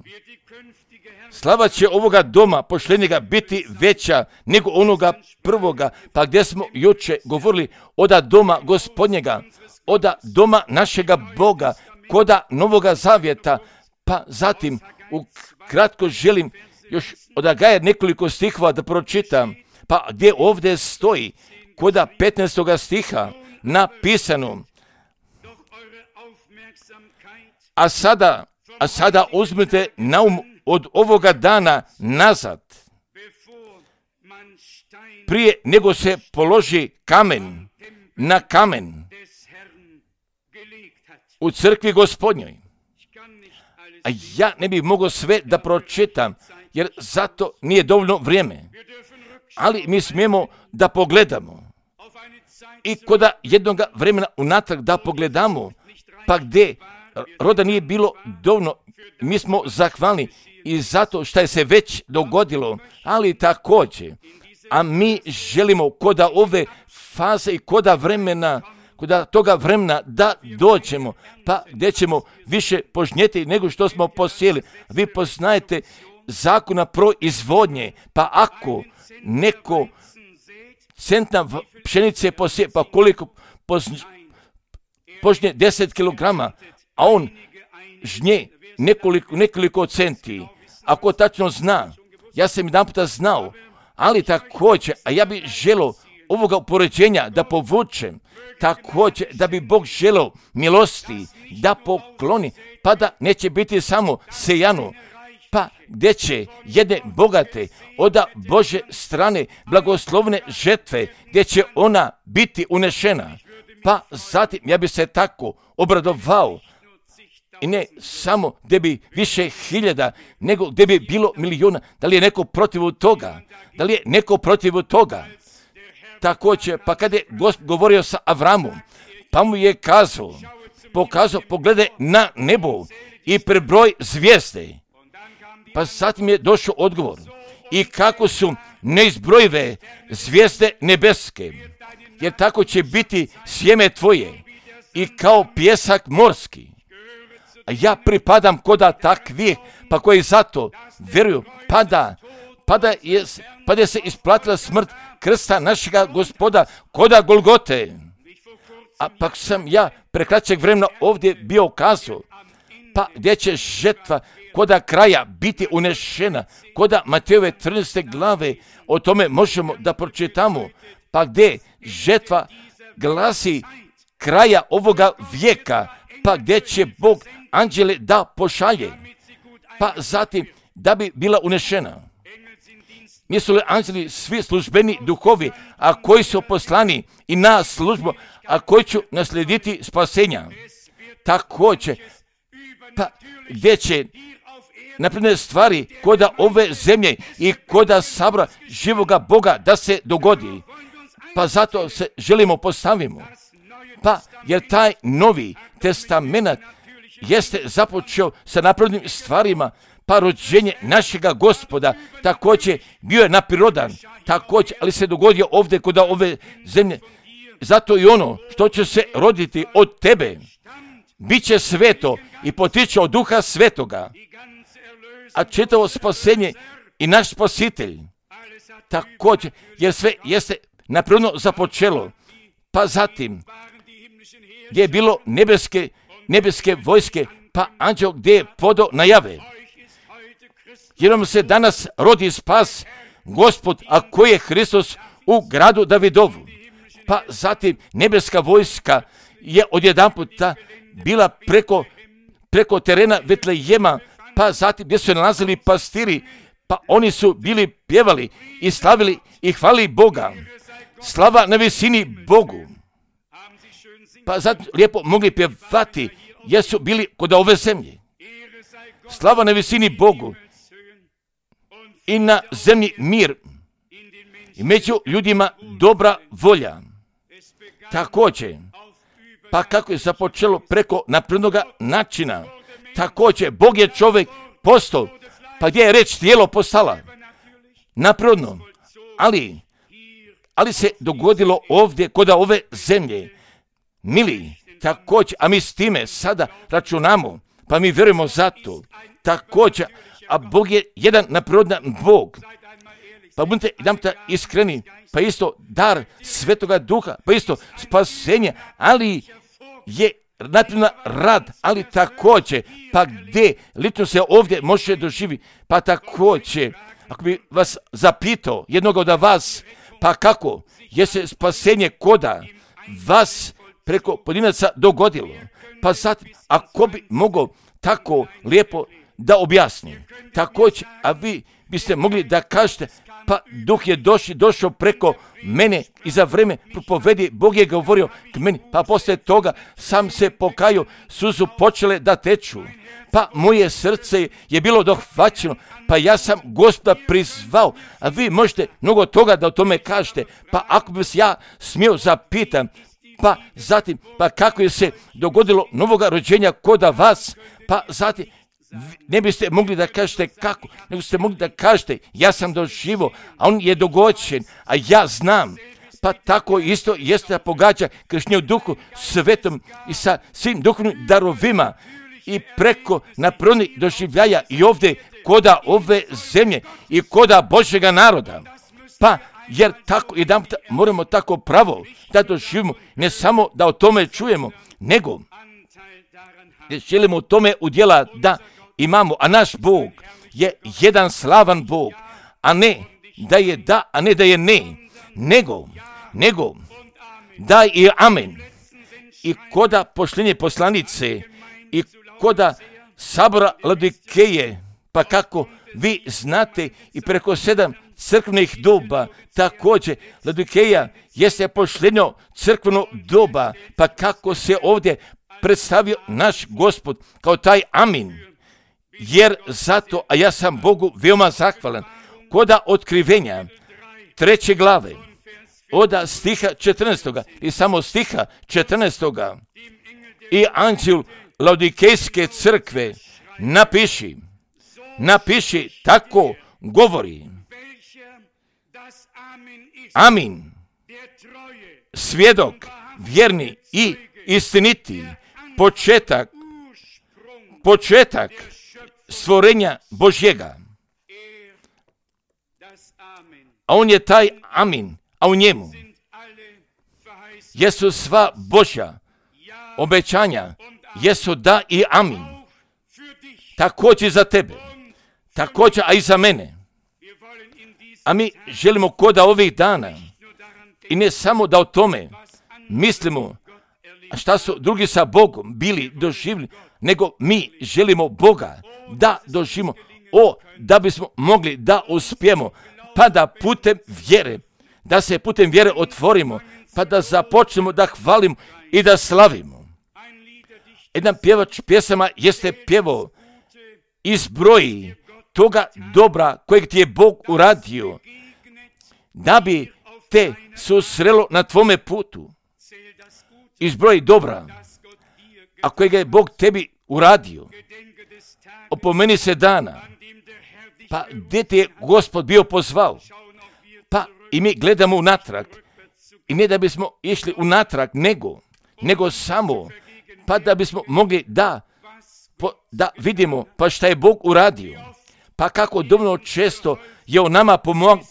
Slava će ovoga doma posljednjega biti veća nego onoga prvoga, pa gdje smo juče govorili oda doma Gospodnjega, oda doma našega Boga, koda Novoga Zavjeta, pa zatim ukratko želim još od Agaja nekoliko stihova da pročitam, pa gdje ovdje stoji koda 15. stiha napisano, a sada uzmite na um od ovoga dana nazad, prije nego se položi kamen na kamen u crkvi Gospodnjoj. A ja ne bih mogao sve da pročitam, jer zato nije dovoljno vrijeme. Ali mi smijemo da pogledamo i koda jednoga vremena unatrag da pogledamo, pa gdje roda nije bilo dovoljno, mi smo zahvalni i zato što je se već dogodilo, ali također, a mi želimo koda ove faze i koda toga vremena da dođemo, pa gdje ćemo više požnjeti nego što smo posijeli. Vi poznajete zakona proizvodnje, pa ako neko centna pšenice posije, pa koliko požnje 10 kilograma, a on žnje nekoliko centi. Ako tačno zna, ja sam jedan puta znao, ali također, a ja bih želio ovoga upoređenja da povučem, također da bi Bog želio milosti da pokloni, pa da neće biti samo sejano, pa gdje će jedne bogate od Bože strane blagoslovne žetve, gdje će ona biti unešena, pa zatim ja bi se tako obradovao, i ne samo gdje bi više hiljada, nego gdje bi bilo milijuna. Da li je neko protiv toga? Također, pa kad je Gospod govorio sa Avramom, pa mu je pokazao, pogledaj na nebo i prebroj zvijezde. Pa zatim je došao odgovor. I kako su neizbrojive zvijezde nebeske, jer tako će biti sjeme tvoje i kao pjesak morski. A ja pripadam koda takvih, pa koji zato vjeruju, pa da se isplatila smrt krsta našega Gospoda koda Golgote. A pak sam ja prekraćeg vremena ovdje bio kazao, pa gdje će žetva koda kraja biti unešena, koda Matejove 13. glave, o tome možemo da pročitamo, pa gdje žetva glasi kraja ovoga vijeka, pa gdje će Bog anđele da pošalje, pa zatim da bi bila unešena. Nisu li anđeli svi službeni duhovi, a koji su poslani i na službu, a koji će naslijediti spasenja? Također, pa gdje će napredne stvari koda ove zemlje i koda sabora živoga Boga da se dogodi. Pa zato se želimo postavimo. Pa jer taj Novi Testament jeste započeo sa naprednim stvarima, pa rođenje našega Gospoda također bio je naprirodan, također, ali se dogodio ovdje kod ove zemlje. Zato i ono što će se roditi od tebe, bit će sveto i potiče od Duha Svetoga, a čitavo spasenje i naš spasitelj, također, jer sve jeste naprirodno započelo, pa zatim, gdje je bilo nebeske vojske, pa anđeo gdje je podao najave. Jer vam se danas rodi spas, Gospod, a koji je Hristos u gradu Davidovu. Pa zatim nebeska vojska je odjedanputa bila preko terena Vetlejema, pa zatim gdje su nalazili pastiri, pa oni su bili pjevali i slavili i hvalili Boga. Slava na visini Bogu. Pa zatim lijepo mogli pjevati jer su bili kod ove zemlje. Slava na visini Bogu i na zemlji mir i među ljudima dobra volja. Također, pa kako je započelo preko naprednoga načina, također Bog je čovjek postao, pa gdje je reč tijelo postala napredno, ali se dogodilo ovdje kod ove zemlje, mili, također, a mi s time sada računamo, pa mi vjerujemo za to, također, a Bog je jedan naprirodan Bog. Pa budite jedanputa iskreni, pa isto dar Svetoga Duha, pa isto spasenje, ali je naprirodan rad, ali također, pa gdje lično se ovdje može doživjeti, pa također, ako bi vas zapitao, jednog od vas, pa kako je se spasenje koda vas preko pojedinaca dogodilo, pa sad, ako bi mogao tako lijepo da objasni, također, a vi biste mogli da kažete, pa Duh je došao preko mene i za vrijeme propovedi Bog je govorio k meni, pa poslije toga sam se pokajao, suzu počele da teču, pa moje srce je bilo dohvaćeno, pa ja sam Gospoda prizvao, a vi možete mnogo toga da o tome kažete, pa ako bi se ja smio zapitam, pa zatim, pa kako je se dogodilo novoga rođenja koda vas, pa zatim, ne biste mogli da kažete kako, nego ste mogli da kažete ja sam doživio, a on je dogođen, a ja znam. Pa tako isto jeste da pogađa kršenje u Duhu Svetom i sa svim duhovnim darovima i preko naprednih doživljaja i ovdje koda ove zemlje i koda Božjega naroda. Pa jer tako jedanput moramo tako pravo da doživimo, ne samo da o tome čujemo, nego želimo u tome udjela da imamo, a naš Bog je jedan slavan Bog, a ne da je da, a ne da je ne, nego da i amen. I koda pošljenje poslanice i koda sabora Laodikeje, pa kako vi znate i preko 7 crkvenih doba, također Laodikeja jeste pošljenjo crkveno doba, pa kako se ovdje predstavio naš Gospod kao taj amin. Jer zato, a ja sam Bogu veoma zahvalan, koda otkrivenja 3. glave, od stiha 14. i samo stiha 14. i anđel Laodikejske crkve napiši, tako govori. Amin. Svjedok, vjerni i istiniti, početak stvorenja Božjega. A on je taj amin, a u njemu jesu sva Božja obećanja, jesu da i amin. Također za tebe, također a i za mene. A mi želimo koda ovih dana i ne samo da o tome mislimo šta su drugi sa Bogom bili doživjeli, nego mi želimo Boga da doživimo, da bismo mogli da uspijemo, pa da putem vjere, da se putem vjere otvorimo, pa da započnemo da hvalimo i da slavimo. Jedan pjevač pjesama jeste pjevao izbroji toga dobra kojeg ti je Bog uradio, da bi te susrelo na tvome putu. Izbroji dobra, a kojeg je Bog tebi uradio. Opomeni se dana, pa gdje te je Gospod bio pozvao, pa i mi gledamo unatrag. I ne da bismo išli unatrag, nego samo, pa da bismo mogli da vidimo pa šta je Bog uradio, pa kako dovoljno često je on nama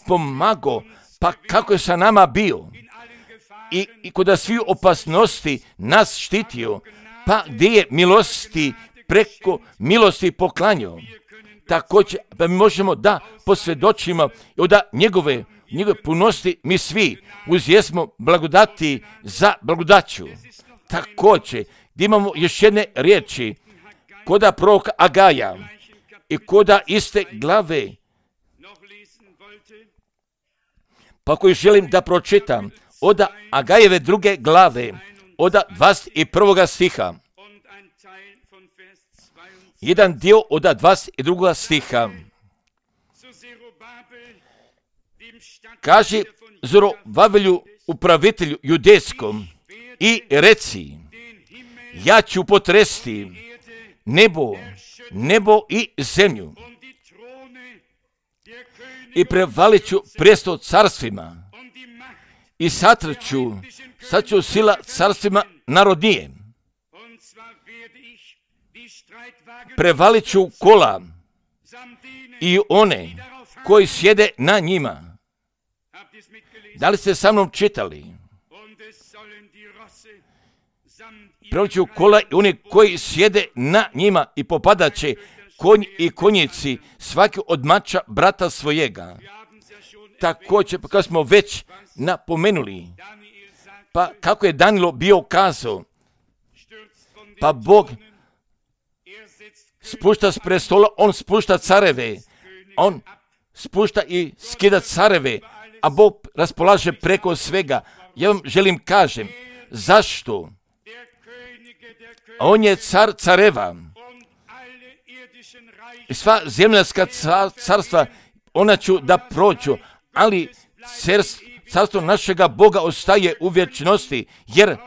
pomagao, pa kako je sa nama bio i kod svih opasnosti nas štitio, pa gdje je milosti preko milosti poklanjao. Također, pa mi možemo da posvjedočimo od njegove punosti mi svi uzjesmo blagodati za blagodaću. Također, gdje imamo još jedne riječi, koda proroka Agaja i koda iste glave, pa koju želim da pročitam, od Agajeve druge glave, od 21. stiha. Jedan dio od 22. stiha. Kaže Zorovavelju, upravitelju judejskom, i reci, ja ću potresti nebo i zemlju i prevalit ću prijestol carstvima i satrću sila carstvima narodnije. Prevalit ću kola i one koji sjede na njima. Da li ste sa mnom čitali? Prevalit ću kola i oni koji sjede na njima i popadat će konj i konjici svaki od mača brata svojega. Također, pa kad smo već napomenuli, pa kako je Danilo bio kazao, pa Bog spušta s prestola, on spušta careve, on spušta i skida careve, a Bog raspolaže preko svega. Ja vam želim kažem, zašto? On je car careva. I sva zemljska carstva, ona ću da prođu, ali carstvo našega Boga ostaje u vječnosti, jer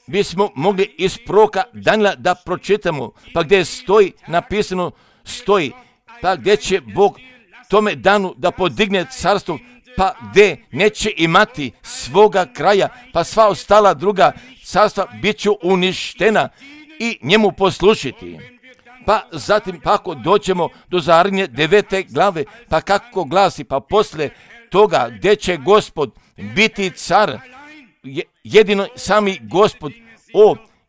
bismo mogli iz proroka Danila da pročitamo, pa gdje stoji, napisano stoji, pa gdje će Bog tome danu da podigne carstvo, pa gdje neće imati svoga kraja, pa sva ostala druga carstva bit će uništena i njemu poslušiti. Pa zatim, pa ako dođemo do Zaharije 9. glave, pa kako glasi, pa posle toga gdje će Gospod biti car, jedino sami Gospod,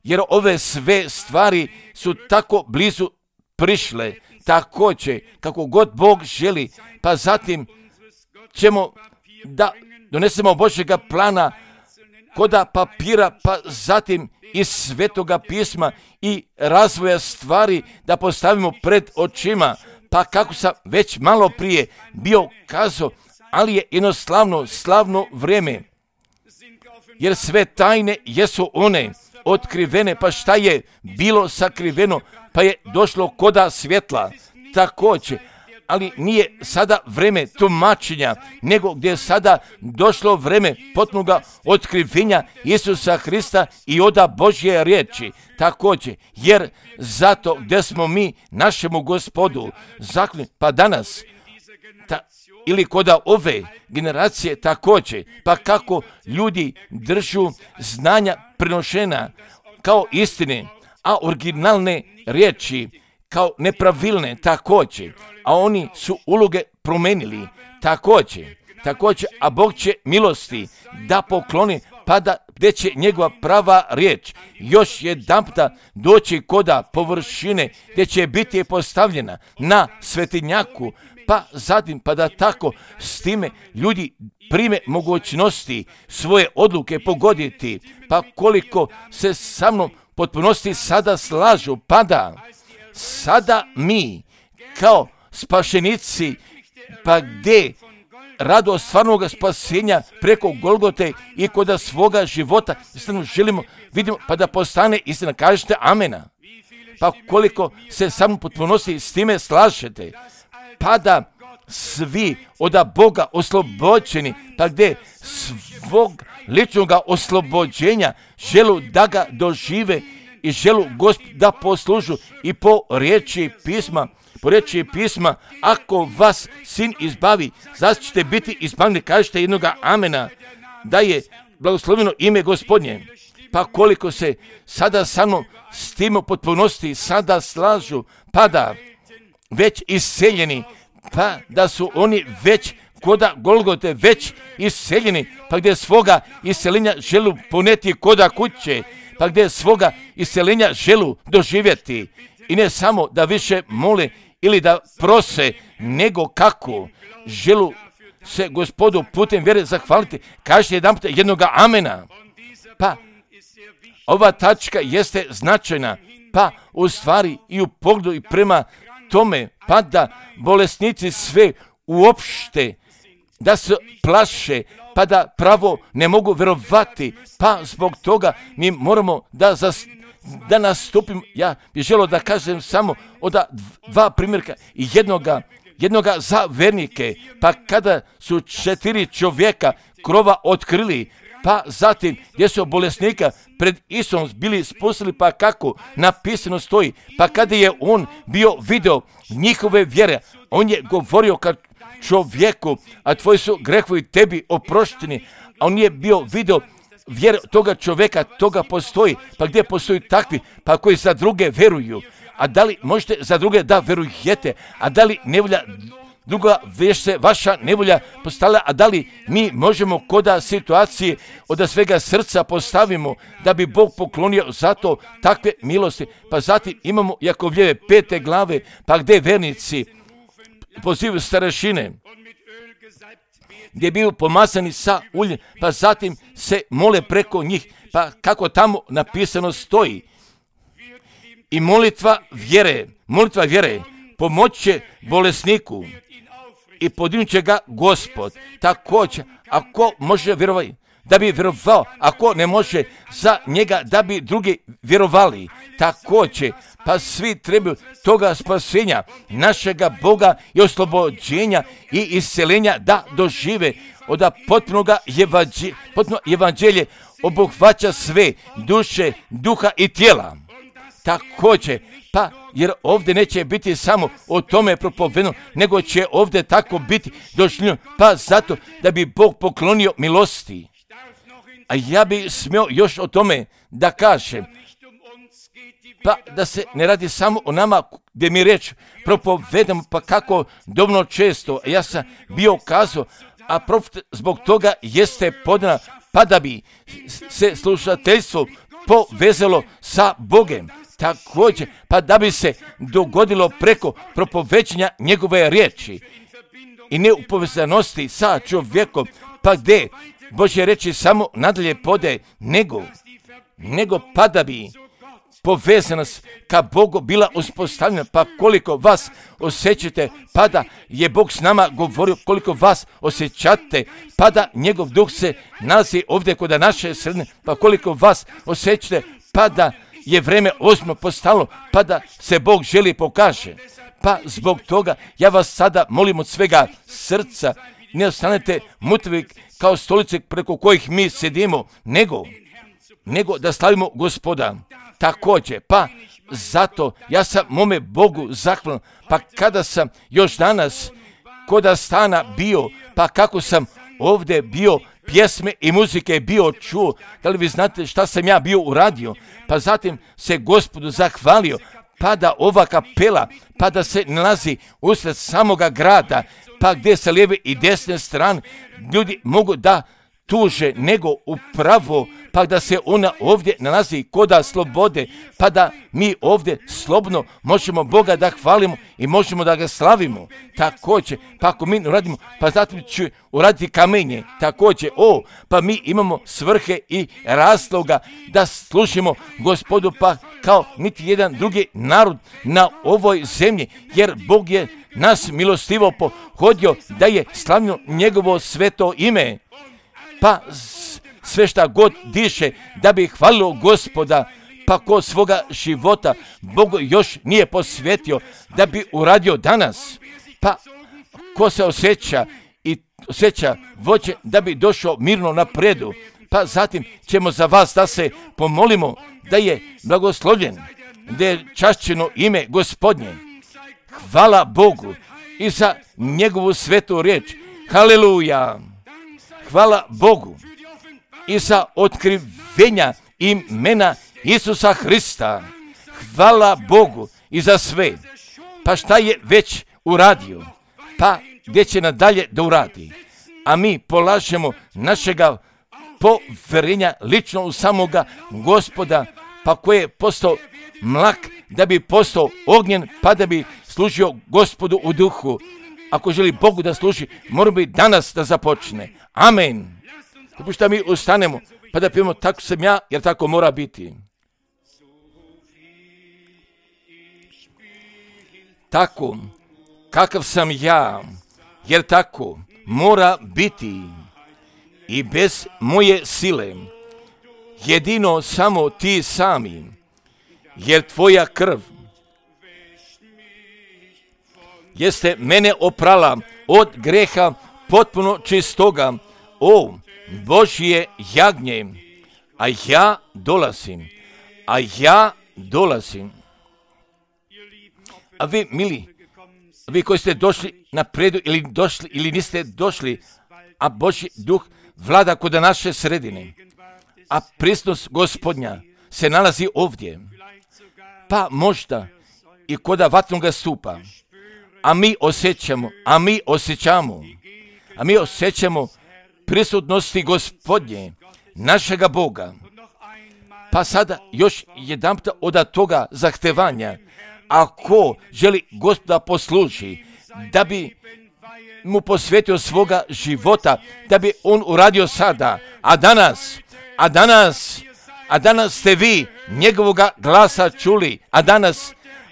jer ove sve stvari su tako blizu prišle, također kako god Bog želi, pa zatim ćemo da donesemo Božjega plana koda papira, pa zatim iz Svetoga pisma i razvoja stvari da postavimo pred očima, pa kako sam već malo prije bio kazao, ali je jedno slavno vrijeme, jer sve tajne jesu one otkrivene, pa šta je bilo sakriveno, pa je došlo koda svjetla, također, ali nije sada vreme tumačenja, nego gdje je sada došlo vreme potpunoga otkrivenja Isusa Hrista i oda Božje riječi, također, jer zato gdje smo mi našemu Gospodu zahvalni, pa danas, ili koda ove generacije također, pa kako ljudi držu znanja prenošena kao istine, a originalne riječi kao nepravilne također, a oni su uloge promenili također, a Bog će milosti da pokloni, pa da gdje će njegova prava riječ još jedanputa doći koda površine, gdje će biti postavljena na svetinjaku, pa zatim, pa da tako s time ljudi prime mogućnosti svoje odluke pogoditi, pa koliko se sa mnom potpunosti sada slažu, pa da sada mi kao spašenici, pa gdje radost stvarnog spasenja preko Golgote i kod svoga života. Istinu želimo, vidimo, pa da postane istina. Kažete amena. Pa koliko se samo potpunosti s time slažete, pa da svi od Boga oslobođeni, pa gdje svog ličnog oslobođenja želu da ga dožive i želu Gospod da poslužu i po riječi pisma, ako vas Sin izbavi, zašto ćete biti izbavljeni, kažete jednoga amena, da je blagosloveno ime Gospodnje. Pa koliko se sada samo s tim potpunosti sada slažu, pa da već iseljeni, pa da su oni već koda Golgote već iseljeni, pa gdje svoga iseljenja želu poneti koda kuće, pa gdje svoga iseljenja želu doživjeti i ne samo da više mole ili da prose, nego kako želu se Gospodu putem vjere zahvaliti. Kažete jedanput jednoga amena. Pa ova tačka jeste značajna, pa u stvari i u pogledu i prema tome, pa da bolesnici sve uopšte da se plaše, pa da pravo ne mogu vjerovati, pa zbog toga mi moramo da nastupim. Ja bih želio da kažem samo od dva primjerka i jednoga za vernike, pa kada su 4 čovjeka krova otkrili, pa zatim gdje su bolesnika pred Isusom bili spustili, pa kako napisano stoji, pa kada je on bio video njihove vjere, on je govorio kad čovjeku, a tvoji su grehovi tebi oprošteni, a on je bio video vjere toga čovjeka, toga postoji, pa gdje postoji takvi, pa koji za druge veruju, a da li možete za druge da verujete, a da li nevolja druga već se vaša nevolja postavlja, a da li mi možemo koda situacije od svega srca postavimo da bi Bog poklonio zato takve milosti. Pa zatim imamo Jakovljeve 5. glave, pa gdje vernici pozivaju starešine, gdje biju pomazani sa uljem, pa zatim se mole preko njih, pa kako tamo napisano stoji. I molitva vjere pomoći će bolesniku i podignut će ga Gospod. Također, ako može vjerovati, da bi vjerovao, ako ne može za njega, da bi drugi vjerovali. Također, pa svi trebaju toga spasenja našega Boga i oslobođenja i isceljenja da dožive od potpunoga potpuno evanđelje obuhvaća sve duše, duha i tijela. Također, pa jer ovdje neće biti samo o tome propovedeno, nego će ovdje tako biti došljeno, pa zato da bi Bog poklonio milosti. A ja bi smio još o tome da kažem, pa da se ne radi samo o nama gdje mi reč propovedamo, pa kako dovoljno često, ja sam bio kazao, a profet zbog toga jeste podana, pa da bi se slušateljstvo povezalo sa Bogem. Također, pa da bi se dogodilo preko propovećanja njegove riječi i ne u povezanosti sa čovjekom, pa gdje Božje reči samo nadalje pode, nego pa da bi povezanost ka Bogu bila uspostavljena, pa koliko vas osjećate, pa da je Bog s nama govorio, koliko vas osjećate, pa da njegov duh se nalazi ovdje kod naše sredine, pa koliko vas osjećate, pa da je vreme ozbiljno postalo, pa da se Bog želi pokaže. Pa zbog toga ja vas sada molim od svega srca, ne ostanete mrtvi kao stolice preko kojih mi sedimo, nego da slavimo Gospoda. Također, pa zato ja sam mome Bogu zahvalan, pa kada sam još danas koda stana bio, pa kako sam ovdje bio, pjesme i muzike bio čuo, da li vi znate šta sam ja bio uradio, pa zatim se Gospodu zahvalio, pa da ova kapela, pa da se nalazi usred samoga grada, pa gdje sa lijeve i desne strane ljudi mogu da tuže nego upravo, pa da se ona ovdje nalazi koda slobode, pa da mi ovdje slobodno možemo Boga da hvalimo i možemo da ga slavimo. Također, pa ako mi uradimo, pa zatim ću uraditi kamenje. Također, pa mi imamo svrhe i razloga da služimo Gospodu, pa kao niti jedan drugi narod na ovoj zemlji, jer Bog je nas milostivo pohodio da je slavno njegovo sveto ime. Pa sve šta god diše da bi hvalilo Gospoda, pa ko svoga života Bogu još nije posvetio da bi uradio danas, pa ko se osjeća vođe da bi došao mirno napredu, pa zatim ćemo za vas da se pomolimo da je blagoslovljen, da je čašćeno ime Gospodnje. Hvala Bogu i za njegovu svetu riječ. Haleluja! Hvala Bogu i za otkrivenja imena Isusa Hrista. Hvala Bogu i za sve. Pa šta je već uradio? Pa gdje će nadalje da uradi? A mi polažemo našega poverenja lično u samoga Gospoda, pa koji je postao mlak da bi postao ognjen, pa da bi služio Gospodu u duhu. Ako želi Bogu da služi, mora bi danas da započne. Amen. Dopušta mi ustanemo, pa da pijemo tako sam ja, jer tako mora biti. Tako, kakav sam ja, jer tako mora biti i bez moje sile. Jedino samo ti sami, jer tvoja krv jeste mene oprala od greha potpuno čistoga, o Božje jagnje, a ja dolazim. A vi, mili, vi koji ste došli na predu ili niste došli, a Božji duh vlada kod naše sredine, a prisutnost Gospodnja se nalazi ovdje, pa možda i kod vatnoga stupa, a mi osjećamo prisutnosti Gospodnje, našega Boga. Pa sada još jedanput od toga zahtevanja, ako želi Gospoda posluži, da bi mu posvetio svoga života, da bi on uradio sada, a danas ste vi njegovoga glasa čuli,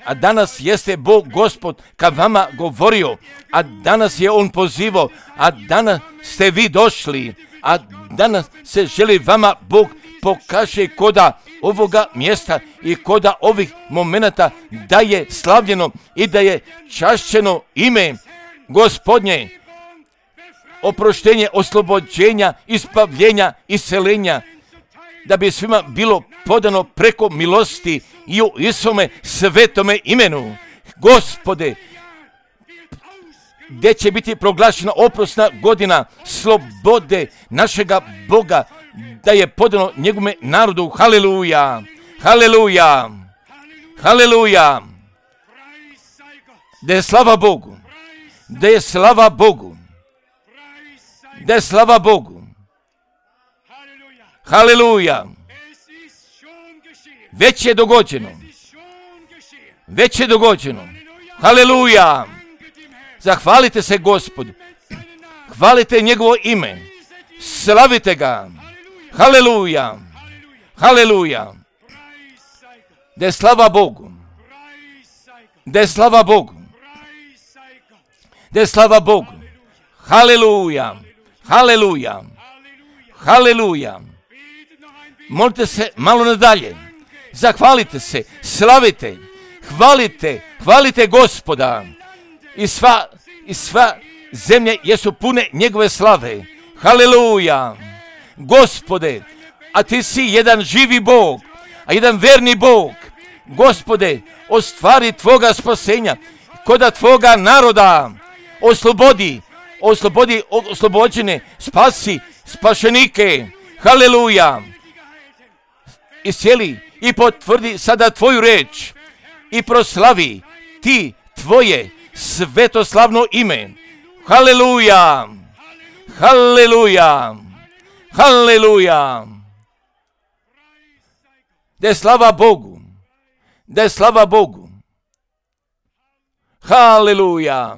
a danas jeste Bog Gospod ka vama govorio, a danas je on pozivao, a danas ste vi došli, a danas se želi vama Bog pokaže koda ovoga mjesta i koda ovih momenata da je slavljeno i da je čašćeno ime Gospodnje, oproštenje, oslobođenja, ispavljenja, iscelenja, da bi svima bilo podano preko milosti i u Isome svetome imenu. Gospode, gdje će biti proglašena oprosna godina slobode našega Boga, da je podano njegovome narodu. Haleluja, haleluja, haleluja. Da je slava Bogu, da je slava Bogu, da je slava Bogu. Haleluja. Već je dogođeno. Haleluja. Zahvalite se Gospodu. Hvalite njegovo ime. Slavite ga. Haleluja. Haleluja. Da je slava Bogu. Da je slava Bogu. Da je slava Bogu. Haleluja. Haleluja. Haleluja. Molite se malo nadalje. Zahvalite se, slavite, hvalite Gospoda. I sva zemlje jesu pune njegove slave. Haleluja. Gospode, a ti si jedan živi Bog, a jedan verni Bog. Gospode, ostvari tvoga spasenja koda tvoga naroda. Oslobođene, spasi spašenike. Haleluja. Iscijeli i potvrdi sada tvoju reč i proslavi ti tvoje svetoslavno ime. Haleluja. Haleluja. Haleluja. Da je slava Bogu. Da je slava Bogu. Haleluja.